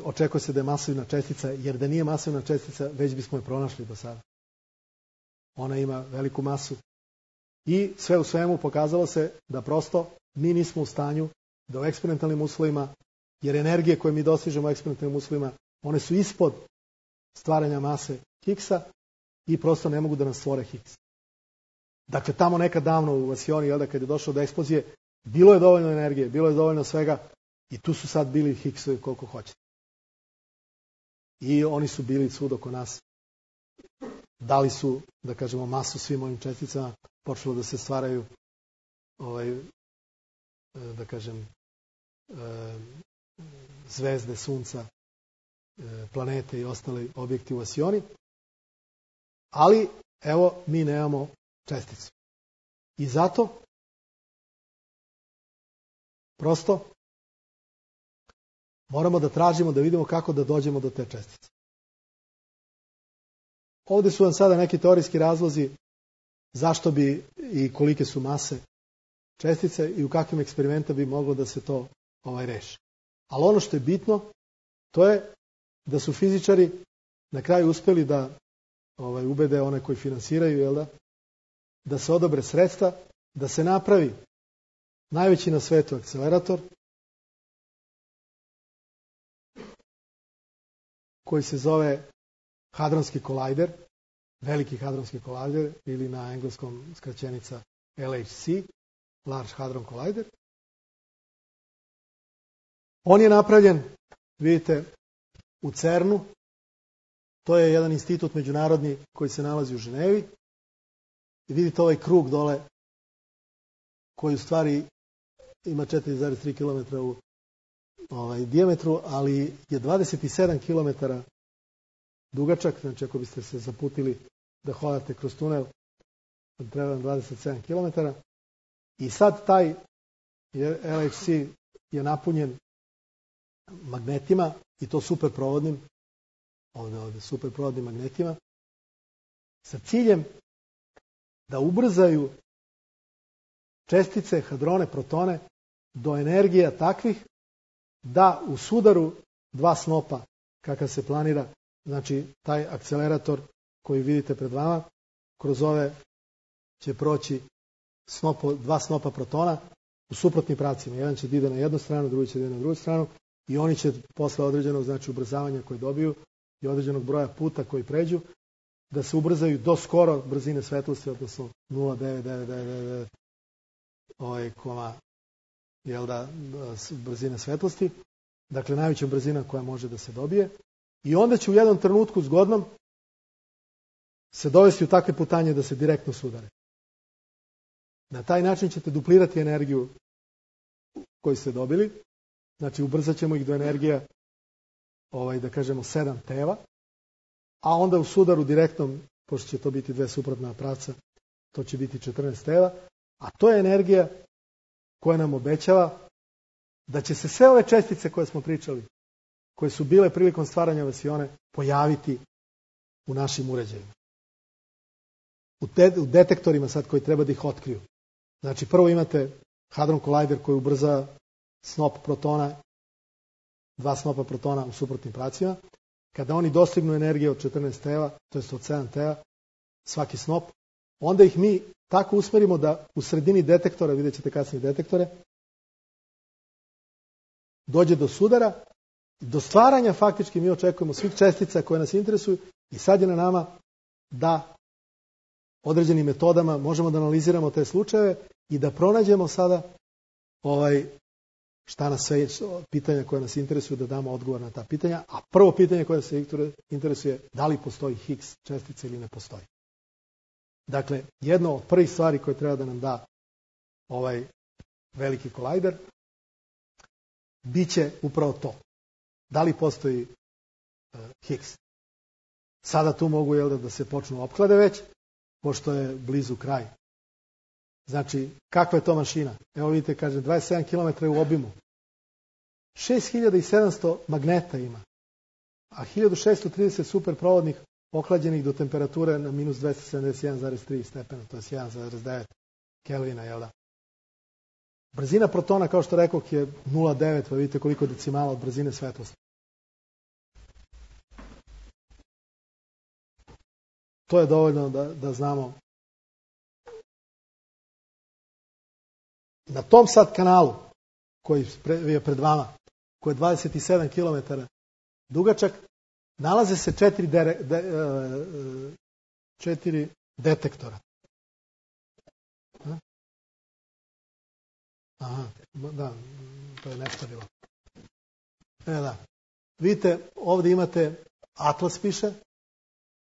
očekuje se da je masivna čestica, jer da nije masivna čestica, već bismo je pronašli do sada. Ona ima veliku masu I sve u svemu pokazalo se da prosto mi nismo u stanju da u eksperimentalnim uslovima, jer energije koje mi dostižemo u eksperimentalnim uslovima, one su ispod stvaranja mase Higgsa i prosto ne mogu da nas stvore Higgs. Dakle, tamo nekad davno u Vasioni, kad je došlo do eksplozije, bilo je dovoljno energije, bilo je dovoljno svega i tu su sad bili Higgsovi koliko hoćete. I oni su bili svud oko nas. Dali su, da kažemo, masu svim ovim česticama, počelo da se stvaraju da kažem zvezde, sunca, planete i ostali objekti u Vasioni. Ali, evo, mi nemamo česticu. I zato prosto moramo da tražimo, da vidimo kako da dođemo do te čestice. Ovdje su vam sada neki teorijski razlozi zašto bi i kolike su mase čestice i u kakvim eksperimentima bi moglo da se to reši. Ali ono što je bitno, to je da su fizičari na kraju uspjeli da ubede one koji finansiraju, da se odobre sredstva, da se napravi najveći na svetu akcelerator koji se zove hadronski kolajder, veliki hadronski kolajder ili na engleskom skraćenica LHC, Large Hadron Collider. On je napravljen, vidite, u CERN-u. To je jedan institut međunarodni koji se nalazi u Ženevi. I vidite ovaj krug dole koji u stvari ima 4,3 km u dijametru, ali je 27 km dugačak. Znači ako biste se zaputili da hodate kroz tunel, treba vam 27 km. I sad taj LHC je napunjen magnetima i to superprovodnim, ovdje superprovodnim magnetima, sa ciljem da ubrzaju čestice, hadrone, protone do energija takvih da u sudaru dva snopa, kakav se planira, znači taj akcelerator koji vidite pred vama, kroz ove će proći dva snopa protona u suprotnim pravcima. Jedan će da ide na jednu stranu, drugi će da ide na drugu stranu i oni će posle određenog, znači ubrzavanja koje dobiju i određenog broja puta koji pređu, da se ubrzaju do skoro brzine svetlosti, odnosno 0,999 brzine svetlosti, dakle najveća brzina koja može da se dobije, i onda će u jednom trenutku zgodnom se dovesti u takve putanje da se direktno sudare. Na taj način ćete duplirati energiju koju ste dobili, znači ubrzat ćemo ih do energija, da kažemo 7 teva, a onda u sudaru direktnom, pošto će to biti dve suprotna pravca, to će biti 14 teva, a to je energija koja nam obećava da će se sve ove čestice koje smo pričali, koje su bile prilikom stvaranja Vasione, pojaviti u našim uređajima. U detektorima sad koji treba da ih otkriju. Znači prvo imate hadron kolajder koji ubrza snop protona, dva snopa protona u suprotnim pravcima. Kada oni dostignu energije od 14 teva, to jest od 7 teva, svaki snop, onda ih mi tako usmerimo da u sredini detektora, vidjet ćete kasnije detektore, dođe do sudara, do stvaranja faktički mi očekujemo svih čestica koje nas interesuju i sad je na nama da određenim metodama možemo da analiziramo te slučajeve i da pronađemo sada šta nas sve pitanja koja nas interesuju, da damo odgovor na ta pitanja. A prvo pitanje koje se interesuje, da li postoji Higgs čestica ili ne postoji. Dakle, jedno od prvih stvari koje treba da nam da ovaj veliki kolajder biće upravo to. Da li postoji Higgs? Sada tu mogu da se počnu opklade već, pošto je blizu kraj. Znači, kakva je to mašina? Evo vidite, kaže, 27 km u obimu. 6700 magneta ima, a 1630 superprovodnih ohlađenih do temperature na minus 271,3 stepena, to je 1,9 kelvina, jel da? Brzina protona, kao što rekoh, je 0,9, pa vidite koliko decimala od brzine svetlosti. To je dovoljno da znamo Na tom sad kanalu koji je pred vama, koji je 27 km dugačak, nalaze se 4 detektora. Aha, da, to je neštarilo. Da. Vidite, ovdje imate Atlas piše,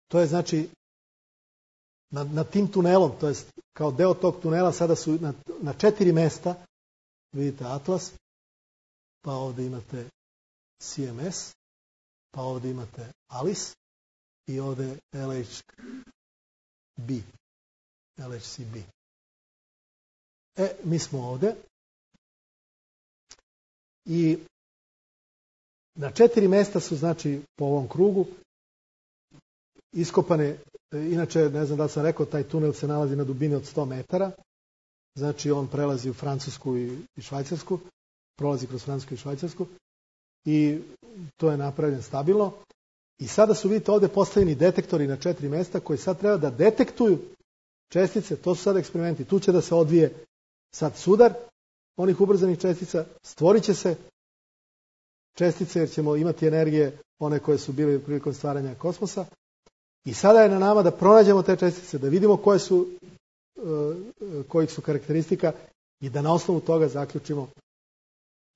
to je znači na tim tunelom, to je kao deo tog tunela, sada su na 4 mesta, vidite Atlas, pa ovdje imate CMS, pa ovdje imate Alice i ovdje LHCb. Mi smo ovdje i na 4 mesta su, znači, po ovom krugu iskopane, inače, ne znam da li sam rekao, taj tunel se nalazi na dubini od 100 metara, znači on prelazi u Francusku i Švajcarsku, prolazi kroz Francusku i Švajcarsku i to je napravljeno stabilno. I sada su, vidite, ovdje postavljeni detektori na 4 mesta koji sad treba da detektuju čestice, to su sad eksperimenti, tu će da se odvije sad sudar onih ubrzanih čestica, stvorit će se čestice jer ćemo imati energije one koje su bile prilikom stvaranja kosmosa i sada je na nama da pronađemo te čestice, da vidimo kojih su karakteristika i da na osnovu toga zaključimo,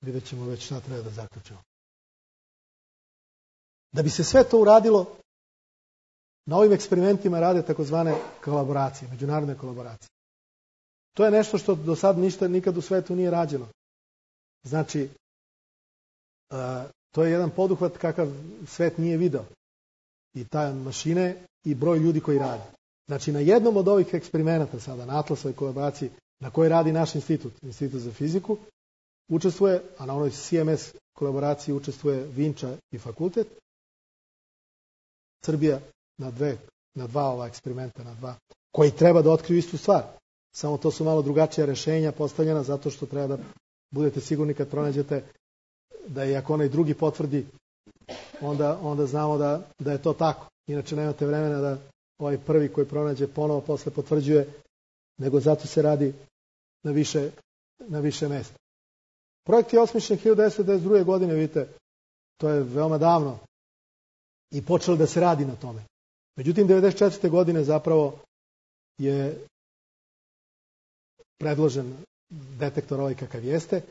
vidjet ćemo već šta treba da zaključimo. Da bi se sve to uradilo, na ovim eksperimentima rade takozvane kolaboracije, međunarodne kolaboracije. To je nešto što do sad nikad u svetu nije rađeno. Znači, to je jedan poduhvat kakav svet nije video. I ta mašine i broj ljudi koji radi. Znači, na jednom od ovih eksperimenata sada, na Atlasovoj kolaboraciji, na kojoj radi naš institut za fiziku, učestvuje, a na onoj CMS kolaboraciji učestvuje Vinča i fakultet. Srbija na dva ova eksperimenta, koji treba da otkriju istu stvar. Samo to su malo drugačija rešenja postavljena zato što treba da budete sigurni kad pronađete da i ako onaj drugi potvrdi, onda znamo da je to tako. Inače nemate vremena da ovaj prvi koji pronađe ponovo posle potvrđuje, nego zato se radi na više mesta. Projekt je osmišljen 1992. godine, vidite, to je veoma davno i počelo da se radi na tome. Međutim, 1994. godine zapravo je predložen detektor ovaj kakav jeste,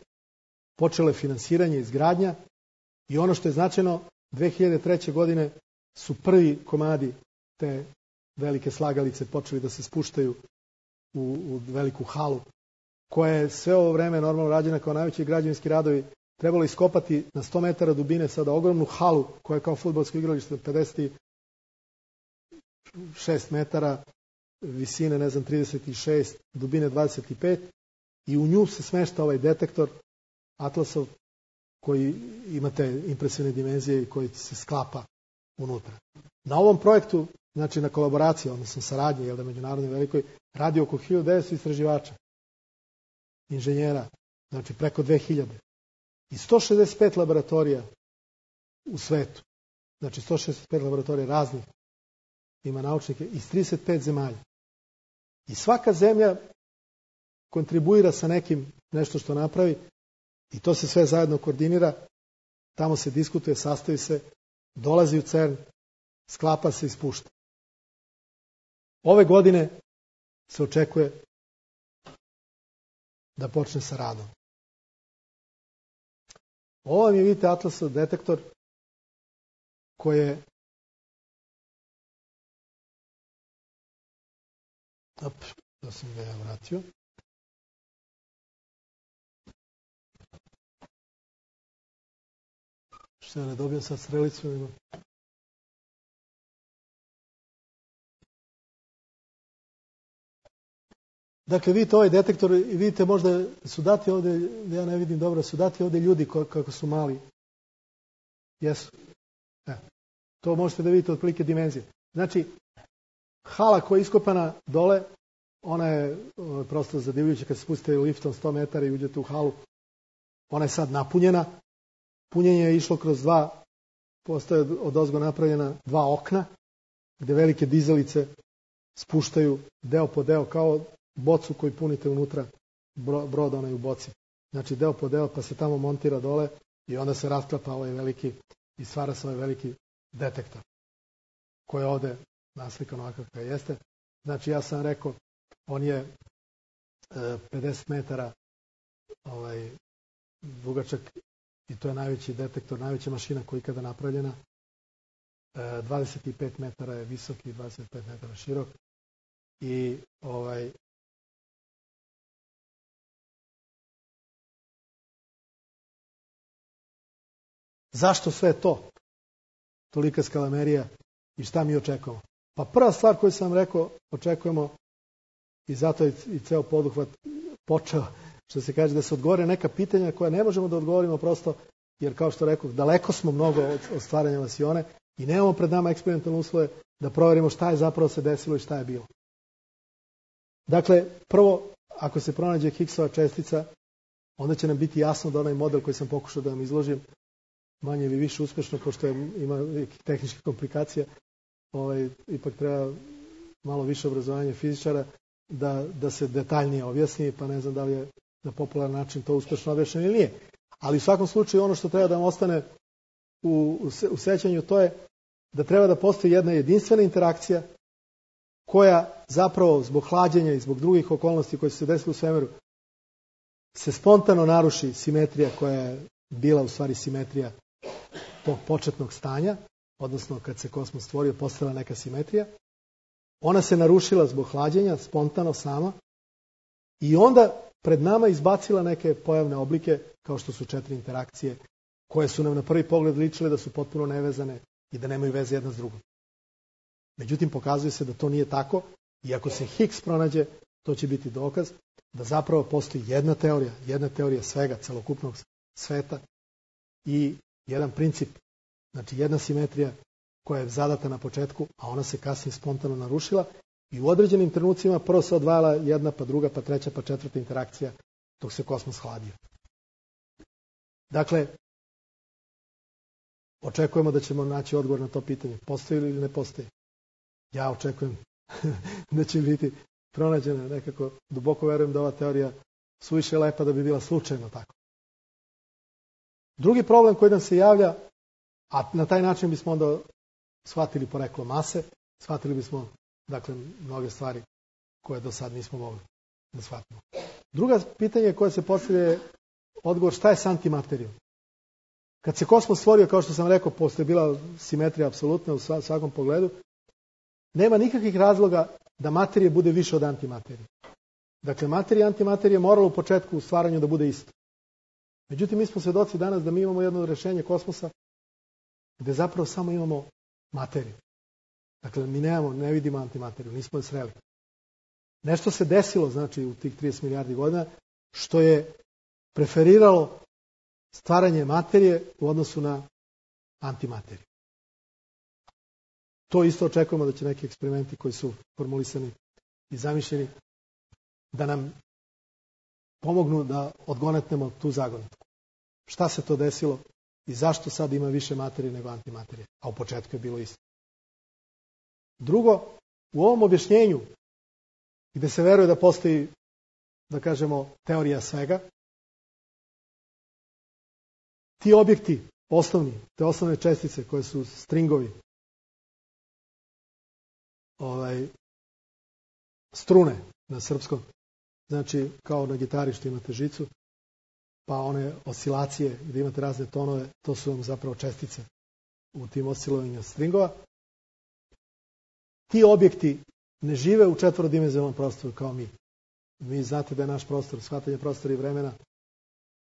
počelo je finansiranje, izgradnja i ono što je značajno, 2003. godine su prvi komadi te velike slagalice počeli da se spuštaju u veliku halu, koja je sve ovo vreme normalno rađena kao najveći građevinski radovi, trebalo iskopati na 100 metara dubine sada ogromnu halu koja je kao fudbalsko igralište 56 metara, visine 36, dubine 25 i u nju se smešta ovaj detektor Atlasov koji imate impresivne dimenzije i koji se sklapa unutra. Na ovom projektu, znači na kolaboraciji, odnosno saradnji, međunarodnoj velikoj, radi oko 1900 istraživača, inženjera, znači preko 2000. I 165 laboratorija u svetu, znači 165 laboratorija raznih, ima naučnike iz 35 zemalja. I svaka zemlja kontribuira sa nekim nešto što napravi i to se sve zajedno koordinira, tamo se diskutuje, sastavi se, dolazi u CERN, sklapa se i spušta. Ove godine se očekuje da počne sa radom. Ovo vam je, vidite, Atlasov detektor koji je da sam ga ja vratio. Što ja ne dobijem sad strelicu? Dakle, vidite ovaj detektor i vidite možda su dati ovdje, ja ne vidim dobro, su dati ovdje ljudi kako su mali. Jesu. To možete da vidite otprilike dimenzije. Znači, hala koja je iskopana dole, ona je prosto zadivljujuća kad se spustite liftom 100 metara i uđete u halu. Ona je sad napunjena. Punjenje je išlo kroz postoje odozgo napravljena 2 okna, gde velike dizalice spuštaju deo po deo, kao bocu koju punite unutra brod onaj u boci. Znači deo po deo pa se tamo montira dole i onda se rasklapa ovaj veliki i stvara se ovaj veliki detektor koji je ovde naslikan ovakav kao jeste. Znači ja sam rekao, on je 50 metara dugačak i to je najveći detektor, najveća mašina koja je ikada napravljena. 25 metara je visok i 25 metara širok. I zašto sve to? Tolika skalamerija i šta mi očekujemo? Pa prva stvar koju sam rekao, očekujemo i zato je i ceo poduhvat počeo, što se kaže, da se odgovore neka pitanja koja ne možemo da odgovorimo prosto, jer kao što rekao, daleko smo mnogo od stvaranja vasione i nemamo pred nama eksperimentalne uslove da proverimo šta je zapravo se desilo i šta je bilo. Dakle, prvo, ako se pronađe Higgsova čestica, onda će nam biti jasno da onaj model koji sam pokušao da vam izložim, manje ili više uspešno, pošto ima tehničke komplikacije, ipak treba malo više obrazovanja fizičara da se detaljnije objasni, pa ne znam da li je na popularan način to uspešno objašnjeno ili nije. Ali u svakom slučaju ono što treba da vam ostane u sećanju, to je da treba da postoji jedna jedinstvena interakcija koja zapravo zbog hlađenja i zbog drugih okolnosti koje su se desile u svemiru se spontano naruši simetrija koja je bila u stvari simetrija tog početnog stanja, odnosno kad se kosmos stvorio, postala neka simetrija. Ona se narušila zbog hlađenja, spontano sama, i onda pred nama izbacila neke pojavne oblike, kao što su 4 interakcije, koje su nam na prvi pogled ličile da su potpuno nevezane i da nemaju veze jedna s drugom. Međutim, pokazuje se da to nije tako i ako se Higgs pronađe, to će biti dokaz da zapravo postoji jedna teorija svega, celokupnog sveta i jedan princip, znači jedna simetrija koja je zadata na početku, a ona se kasnije spontano narušila i u određenim trenucima prvo se odvajala jedna, pa druga, pa treća, pa četvrta interakcija dok se kosmos hladio. Dakle, očekujemo da ćemo naći odgovor na to pitanje. Postoji ili ne postoji? Ja očekujem da će biti pronađena nekako. Duboko verujem da ova teorija suviše lepa da bi bila slučajno tako. Drugi problem koji nam se javlja, a na taj način bismo onda shvatili poreklo mase, shvatili bismo, dakle, mnoge stvari koje do sad nismo mogli da shvatimo. Druga pitanje koje se postavlja je odgovor šta je s antimaterijom. Kad se kosmos stvorio, kao što sam rekao, postoje bila simetrija apsolutna u svakom pogledu, nema nikakvih razloga da materija bude više od antimaterije. Dakle, materija i antimaterija moralo u početku u stvaranju da bude isto. Međutim, mi smo svedoci danas da mi imamo jedno rešenje kosmosa gde zapravo samo imamo materiju. Dakle, mi ne vidimo antimateriju, nismo je sreli. Nešto se desilo, znači, u tih 30 milijardi godina, što je preferiralo stvaranje materije u odnosu na antimateriju. To isto očekujemo da će neki eksperimenti koji su formulisani i zamišljeni da nam pomognu da odgonetnemo tu zagonetku. Šta se to desilo i zašto sad ima više materije nego antimaterije, a u početku je bilo isto. Drugo, u ovom objašnjenju gde se veruje da postoji, da kažemo, teorija svega, ti objekti osnovni, te osnovne čestice koje su stringovi, strune na srpskom, znači kao na gitari što imate žicu, pa one oscilacije gdje imate razne tonove, to su vam zapravo čestice u tim oscilovanjima stringova. Ti objekti ne žive u četvorodimenzionalnom prostoru kao mi. Vi znate da je naš prostor, shvatanje prostora i vremena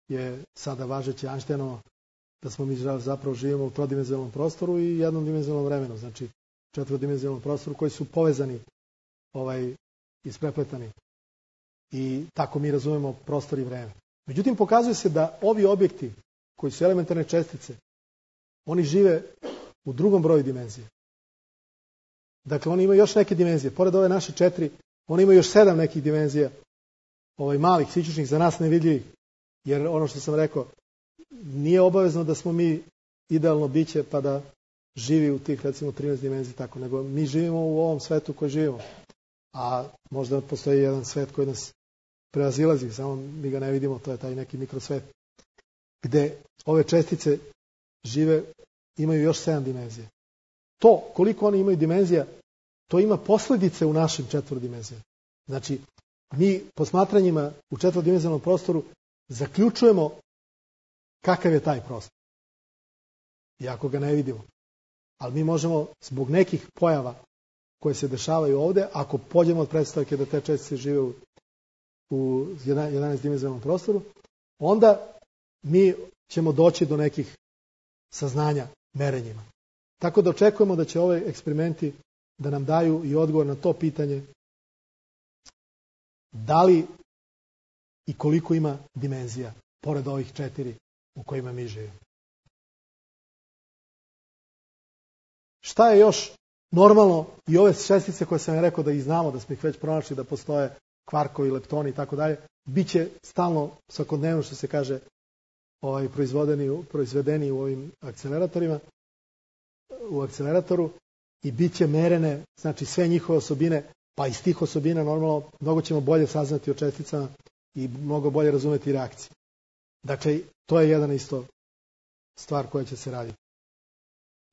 je sada važeće Einsteinovo, da smo mi zapravo živimo u trodimenzionalnom prostoru i jednodimenzionalnom vremenu, znači četvorodimenzionalnom prostoru koji su povezani, isprepletani. I tako mi razumemo prostor i vreme. Međutim, pokazuje se da ovi objekti koji su elementarne čestice, oni žive u drugom broju dimenzije. Dakle, oni imaju još neke dimenzije. Pored ove naše 4, oni imaju još 7 nekih dimenzija, malih, sićušnih, za nas nevidljivih. Jer ono što sam rekao, nije obavezno da smo mi idealno biće pa da živi u tih, recimo, 13 dimenzija tako, nego mi živimo u ovom svetu koji živimo. A možda postoji jedan svet koji nas prevazilazi, samo mi ga ne vidimo, to je taj neki mikrosvet, gde ove čestice žive, imaju još 7 dimenzija. To, koliko oni imaju dimenzija, to ima posledice u našim četvorodimenzijama. Znači, mi posmatranjima u četvorodimenzionalnom prostoru zaključujemo kakav je taj prostor. Iako ga ne vidimo. Ali mi možemo, zbog nekih pojava koje se dešavaju ovde, ako pođemo od pretpostavke da te čestice žive u 11-dimenzionalnom prostoru, onda mi ćemo doći do nekih saznanja merenjima. Tako da očekujemo da će ove eksperimenti da nam daju i odgovor na to pitanje da li i koliko ima dimenzija, pored ovih 4 u kojima mi živimo. Šta je još normalno i ove čestice koje sam rekao da ih znamo, da smo ih već pronašli, da postoje kvarkovi, leptoni i tako dalje, bit će stalno, svakodnevno što se kaže, proizvedeni u ovim akceleratorima, u akceleratoru i bit će merene, znači sve njihove osobine, pa iz tih osobina normalno mnogo ćemo bolje saznati o česticama i mnogo bolje razumeti reakcije. Dakle, to je jedan isto stvar koja će se raditi.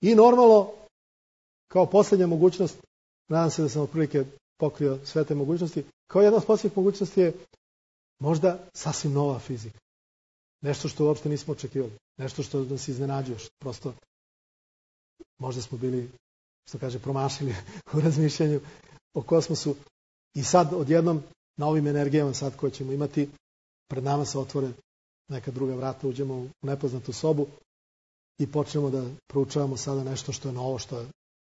I normalno, kao posljednja mogućnost, nadam se da sam otprilike pokrio sve te mogućnosti, kao jedna od posljednjih mogućnosti je možda sasvim nova fizika. Nešto što uopšte nismo očekivali. Nešto što nas iznenađuje. Prosto možda smo bili, što kaže, promašili u razmišljanju o kosmosu. I sad odjednom na ovim energijama sad koje ćemo imati, pred nama se otvore neka druga vrata, uđemo u nepoznatu sobu i počnemo da proučavamo sada nešto što je novo,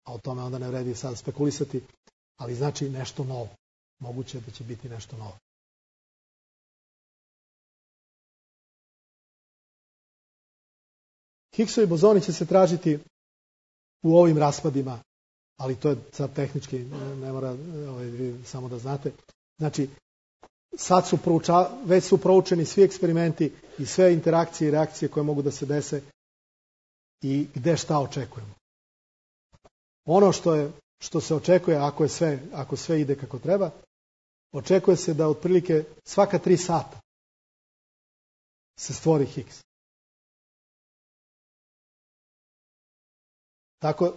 a o tome onda ne vredi sad spekulisati, ali znači nešto novo. Moguće da će biti nešto novo. Higgsovi bozoni će se tražiti u ovim raspadima, ali to je sad tehnički, ne mora samo da znate. Znači, sad već su proučeni svi eksperimenti i sve interakcije i reakcije koje mogu da se dese i gde šta očekujemo. Ono što se očekuje, ako sve ide kako treba, očekuje se da otprilike svaka 3 sata se stvori Higgs. Tako,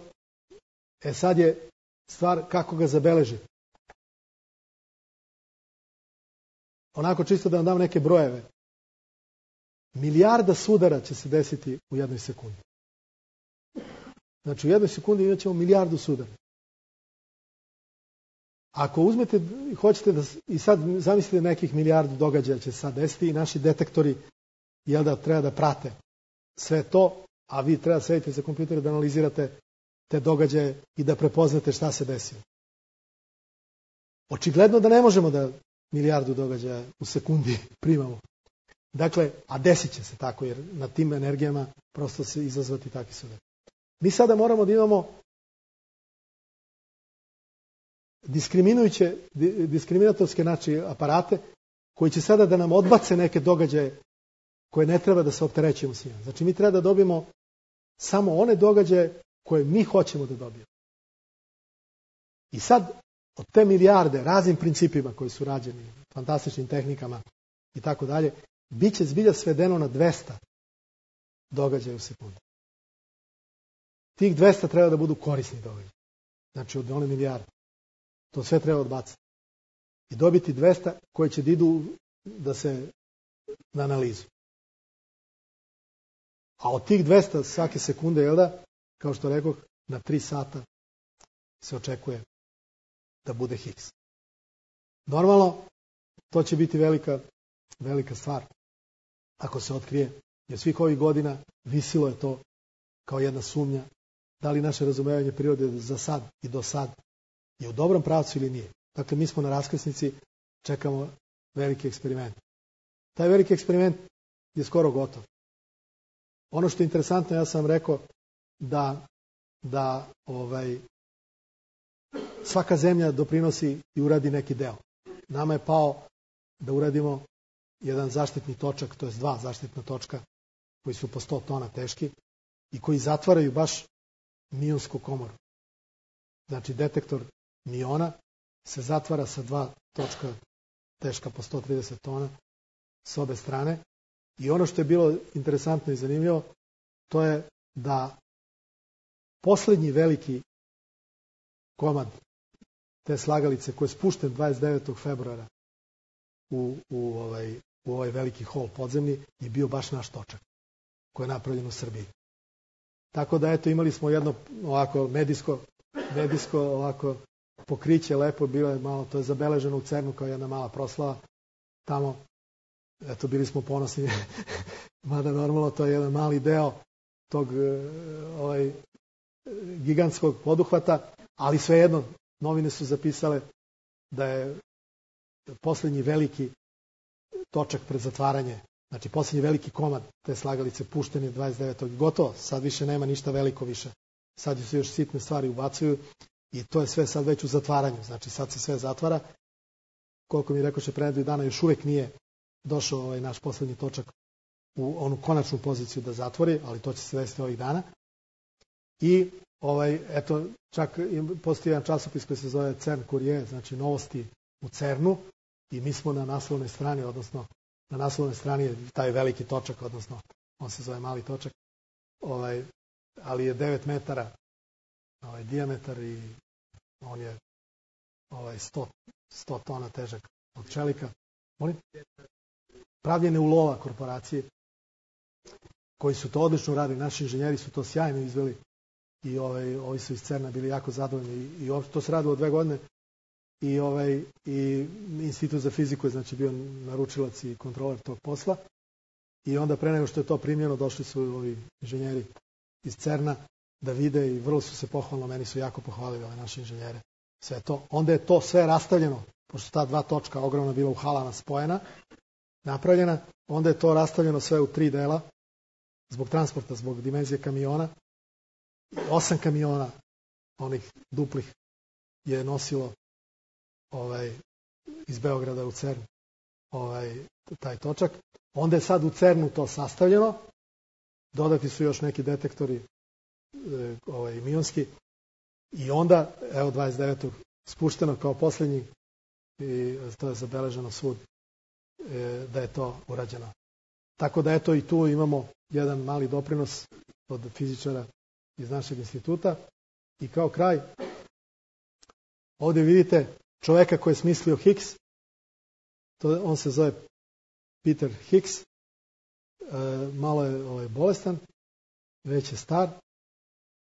sad je stvar kako ga zabeležiti. Onako čisto da vam dam neke brojeve. Milijarda sudara će se desiti u 1 sekundi. Znači u 1 sekundi imat ćemo milijardu sudara. Ako uzmete, hoćete da, i sad zamislite nekih milijardu događaja će se sad desiti i naši detektori treba da prate sve to, a vi treba da sedite za kompjuter da analizirate te događaje i da prepoznate šta se desilo. Očigledno da ne možemo da milijardu događaja u sekundi primamo. Dakle, a desit će se tako, jer na tim energijama prosto se izazvati takvi sudari. Mi sada moramo da imamo diskriminatorske aparate koji će sada da nam odbace neke događaje koje ne treba da se opterećujemo s njima. Znači mi treba da dobijemo samo one događaje koje mi hoćemo da dobijemo. I sad od te milijarde raznim principima koji su rađeni, fantastičnim tehnikama i tako dalje, bit će zbilja svedeno na 200 događaja u sekundi. Tih 200 treba da budu korisni događaji. Znači od one milijarde. To sve treba odbaciti. I dobiti 200 koje će da idu na analizu. A od tih 200 svake sekunde, kao što rekoh, na 3 sata se očekuje da bude Higgs. Normalno, to će biti velika stvar ako se otkrije, jer svih ovih godina visilo je to kao jedna sumnja, da li naše razumevanje prirode za sad i do sad je u dobrom pravcu ili nije. Dakle, mi smo na raskrsnici, čekamo veliki eksperiment. Taj veliki eksperiment je skoro gotov. Ono što je interesantno, ja sam rekao da svaka zemlja doprinosi i uradi neki deo. Nama je pao da uradimo jedan zaštitni točak, to je 2 zaštitna točka koji su po 100 tona teški i koji zatvaraju baš mionsku komoru. Znači detektor miona se zatvara sa 2 točka teška po 130 tona s obe strane. I ono što je bilo interesantno i zanimljivo, to je da poslednji veliki komad te slagalice koji je spušten 29. februara u ovaj veliki hol podzemni je bio baš naš točak koji je napravljen u Srbiji. Tako da eto imali smo jedno ovako medijsko ovako pokriće, lepo bilo je malo, to je zabeleženo u CERN-u kao jedna mala proslava tamo, eto bili smo ponosni mada normalno to je jedan mali deo tog gigantskog poduhvata, ali svejedno novine su zapisale da je poslednji veliki točak pred zatvaranje, znači poslednji veliki komad te slagalice pušten je 29. gotovo, sad više nema ništa veliko više, sad se još sitne stvari ubacuju i to je sve sad već u zatvaranju, znači sad se sve zatvara. Koliko mi rekoše pre nedelju dana, još uvek nije došao naš poslednji točak u onu konačnu poziciju da zatvori, ali to će se desiti ovih dana. I eto, čak postoji jedan časopis koji se zove CERN Courier, znači novosti u CERN-u, i mi smo na naslovnoj strani, odnosno na naslovnoj strani je taj veliki točak, odnosno on se zove mali točak, ali je 9 metara dijametar i on je 100 tona težak od čelika. Pravljene u Lova korporacije koji su to odlično radili, naši inženjeri su to sjajno izveli i ovi su iz CERN-a bili jako zadovoljni i to se radilo 2 godine i Institut za fiziku je znači bio naručilac i kontroler tog posla i onda pre nego što je to primljeno došli su ovi inženjeri iz CERN-a da vide i vrlo su se pohvalno, meni su jako pohvalili ove naše inženjere. Sve to. Onda je to sve rastavljeno, pošto ta 2 točka ogromna bila u halama spojena, napravljena, onda je to rastavljeno sve u 3 dela, zbog transporta, zbog dimenzije kamiona. 8 kamiona, onih duplih, je nosilo iz Beograda u CERN taj točak. Onda je sad u CERN-u to sastavljeno, dodati su još neki detektori mionski i onda, evo 29. spušteno kao poslednji i to je zabeleženo svud da je to urađeno. Tako da eto i tu imamo jedan mali doprinos od fizičara iz našeg instituta. I kao kraj, ovdje vidite čoveka koji je smislio Higgs, on se zove Peter Higgs, malo je bolestan, već je star,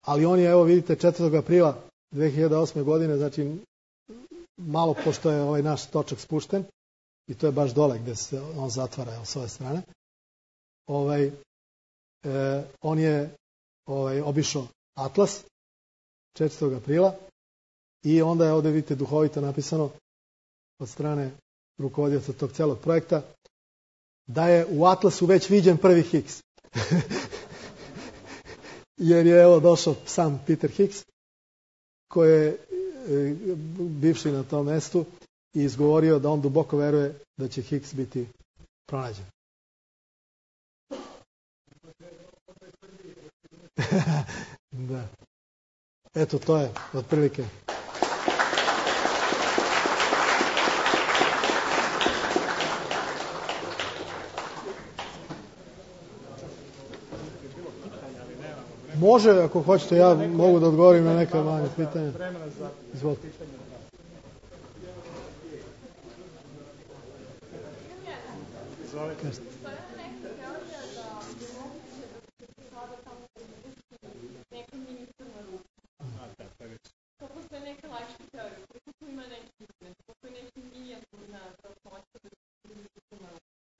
ali on je, evo vidite, 4. aprila 2008. godine, znači malo pošto je ovaj naš točak spušten, i to je baš dole gde se on zatvara, evo s ove strane, on je obišao Atlas 4. aprila i onda je ovdje vidite duhovito napisano od strane rukovodioca tog celog projekta da je u Atlasu već viđen prvi Higgs. Jer je evo došao sam Peter Higgs koji je bivši na tom mestu i izgovorio da on duboko veruje da će Higgs biti pronađen. Da. Eto, to je otprilike. Može, ako hoćete, ja mogu da odgovorim na neka manja pitanja. Izvolite. Izvolite.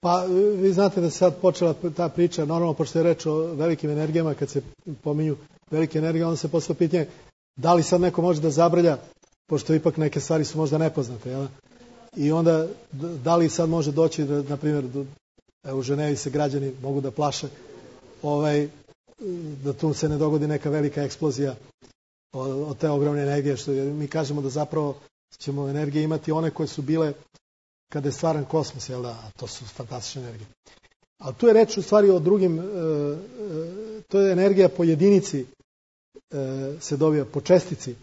Pa vi znate da se sad počela ta priča, normalno pošto je reč o velikim energijama, kad se pominju velike energije, onda se postavlja pitanje da li sad neko može da zabrlja, pošto ipak neke stvari su možda nepoznate, jel? I onda da li sad može doći, na primjer, u Ženevi se građani mogu da plaše, da tu se ne dogodi neka velika eksplozija od te ogromne energije, što mi kažemo da zapravo ćemo energije imati one koje su bile kada je stvaran kosmos, jel da, a to su fantastične energije. Ali tu je reč u stvari o drugim, to je energija po jedinici se dobija, po čestici,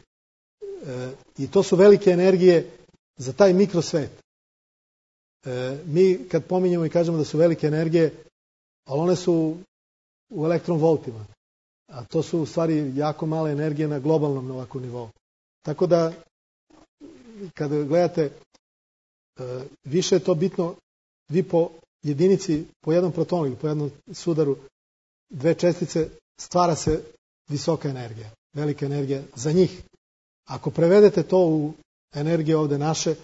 i to su velike energije za taj mikrosvet. Mi kad pominjemo i kažemo da su velike energije, ali one su u elektronvoltima, a to su u stvari jako male energije na globalnom ovakvom nivou. Tako da, kada gledate, više je to bitno, vi po jedinici, po jednom protonu ili po jednom sudaru, dve čestice, stvara se visoka energija, velika energija za njih. Ako prevedete to u energije ovde naše,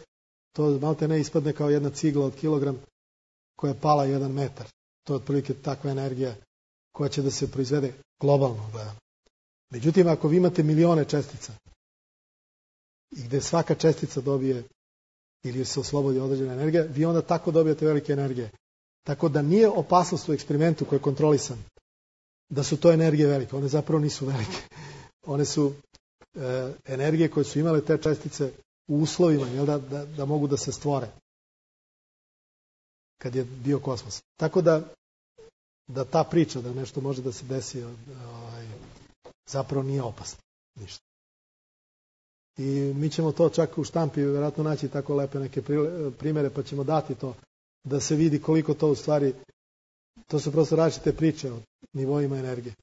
to malte ne ispadne kao jedna cigla od kilogram koja je pala 1 metar. To je otprilike takva energija koja će da se proizvede globalno gledano. Međutim, ako vi imate milione čestica i gde svaka čestica dobije ili se oslobodi određena energija, vi onda tako dobijate velike energije. Tako da nije opasnost u eksperimentu koji je kontrolisan da su to energije velike. One zapravo nisu velike. One su energije koje su imale te čestice u uslovima da mogu da se stvore kad je bio kosmos. Tako da ta priča da nešto može da se desi zapravo nije opasno. Ništa. I mi ćemo to čak u štampi vjerojatno naći tako lepe neke primere, pa ćemo dati to da se vidi koliko to u stvari, to su prosto različite priče o nivoima energije.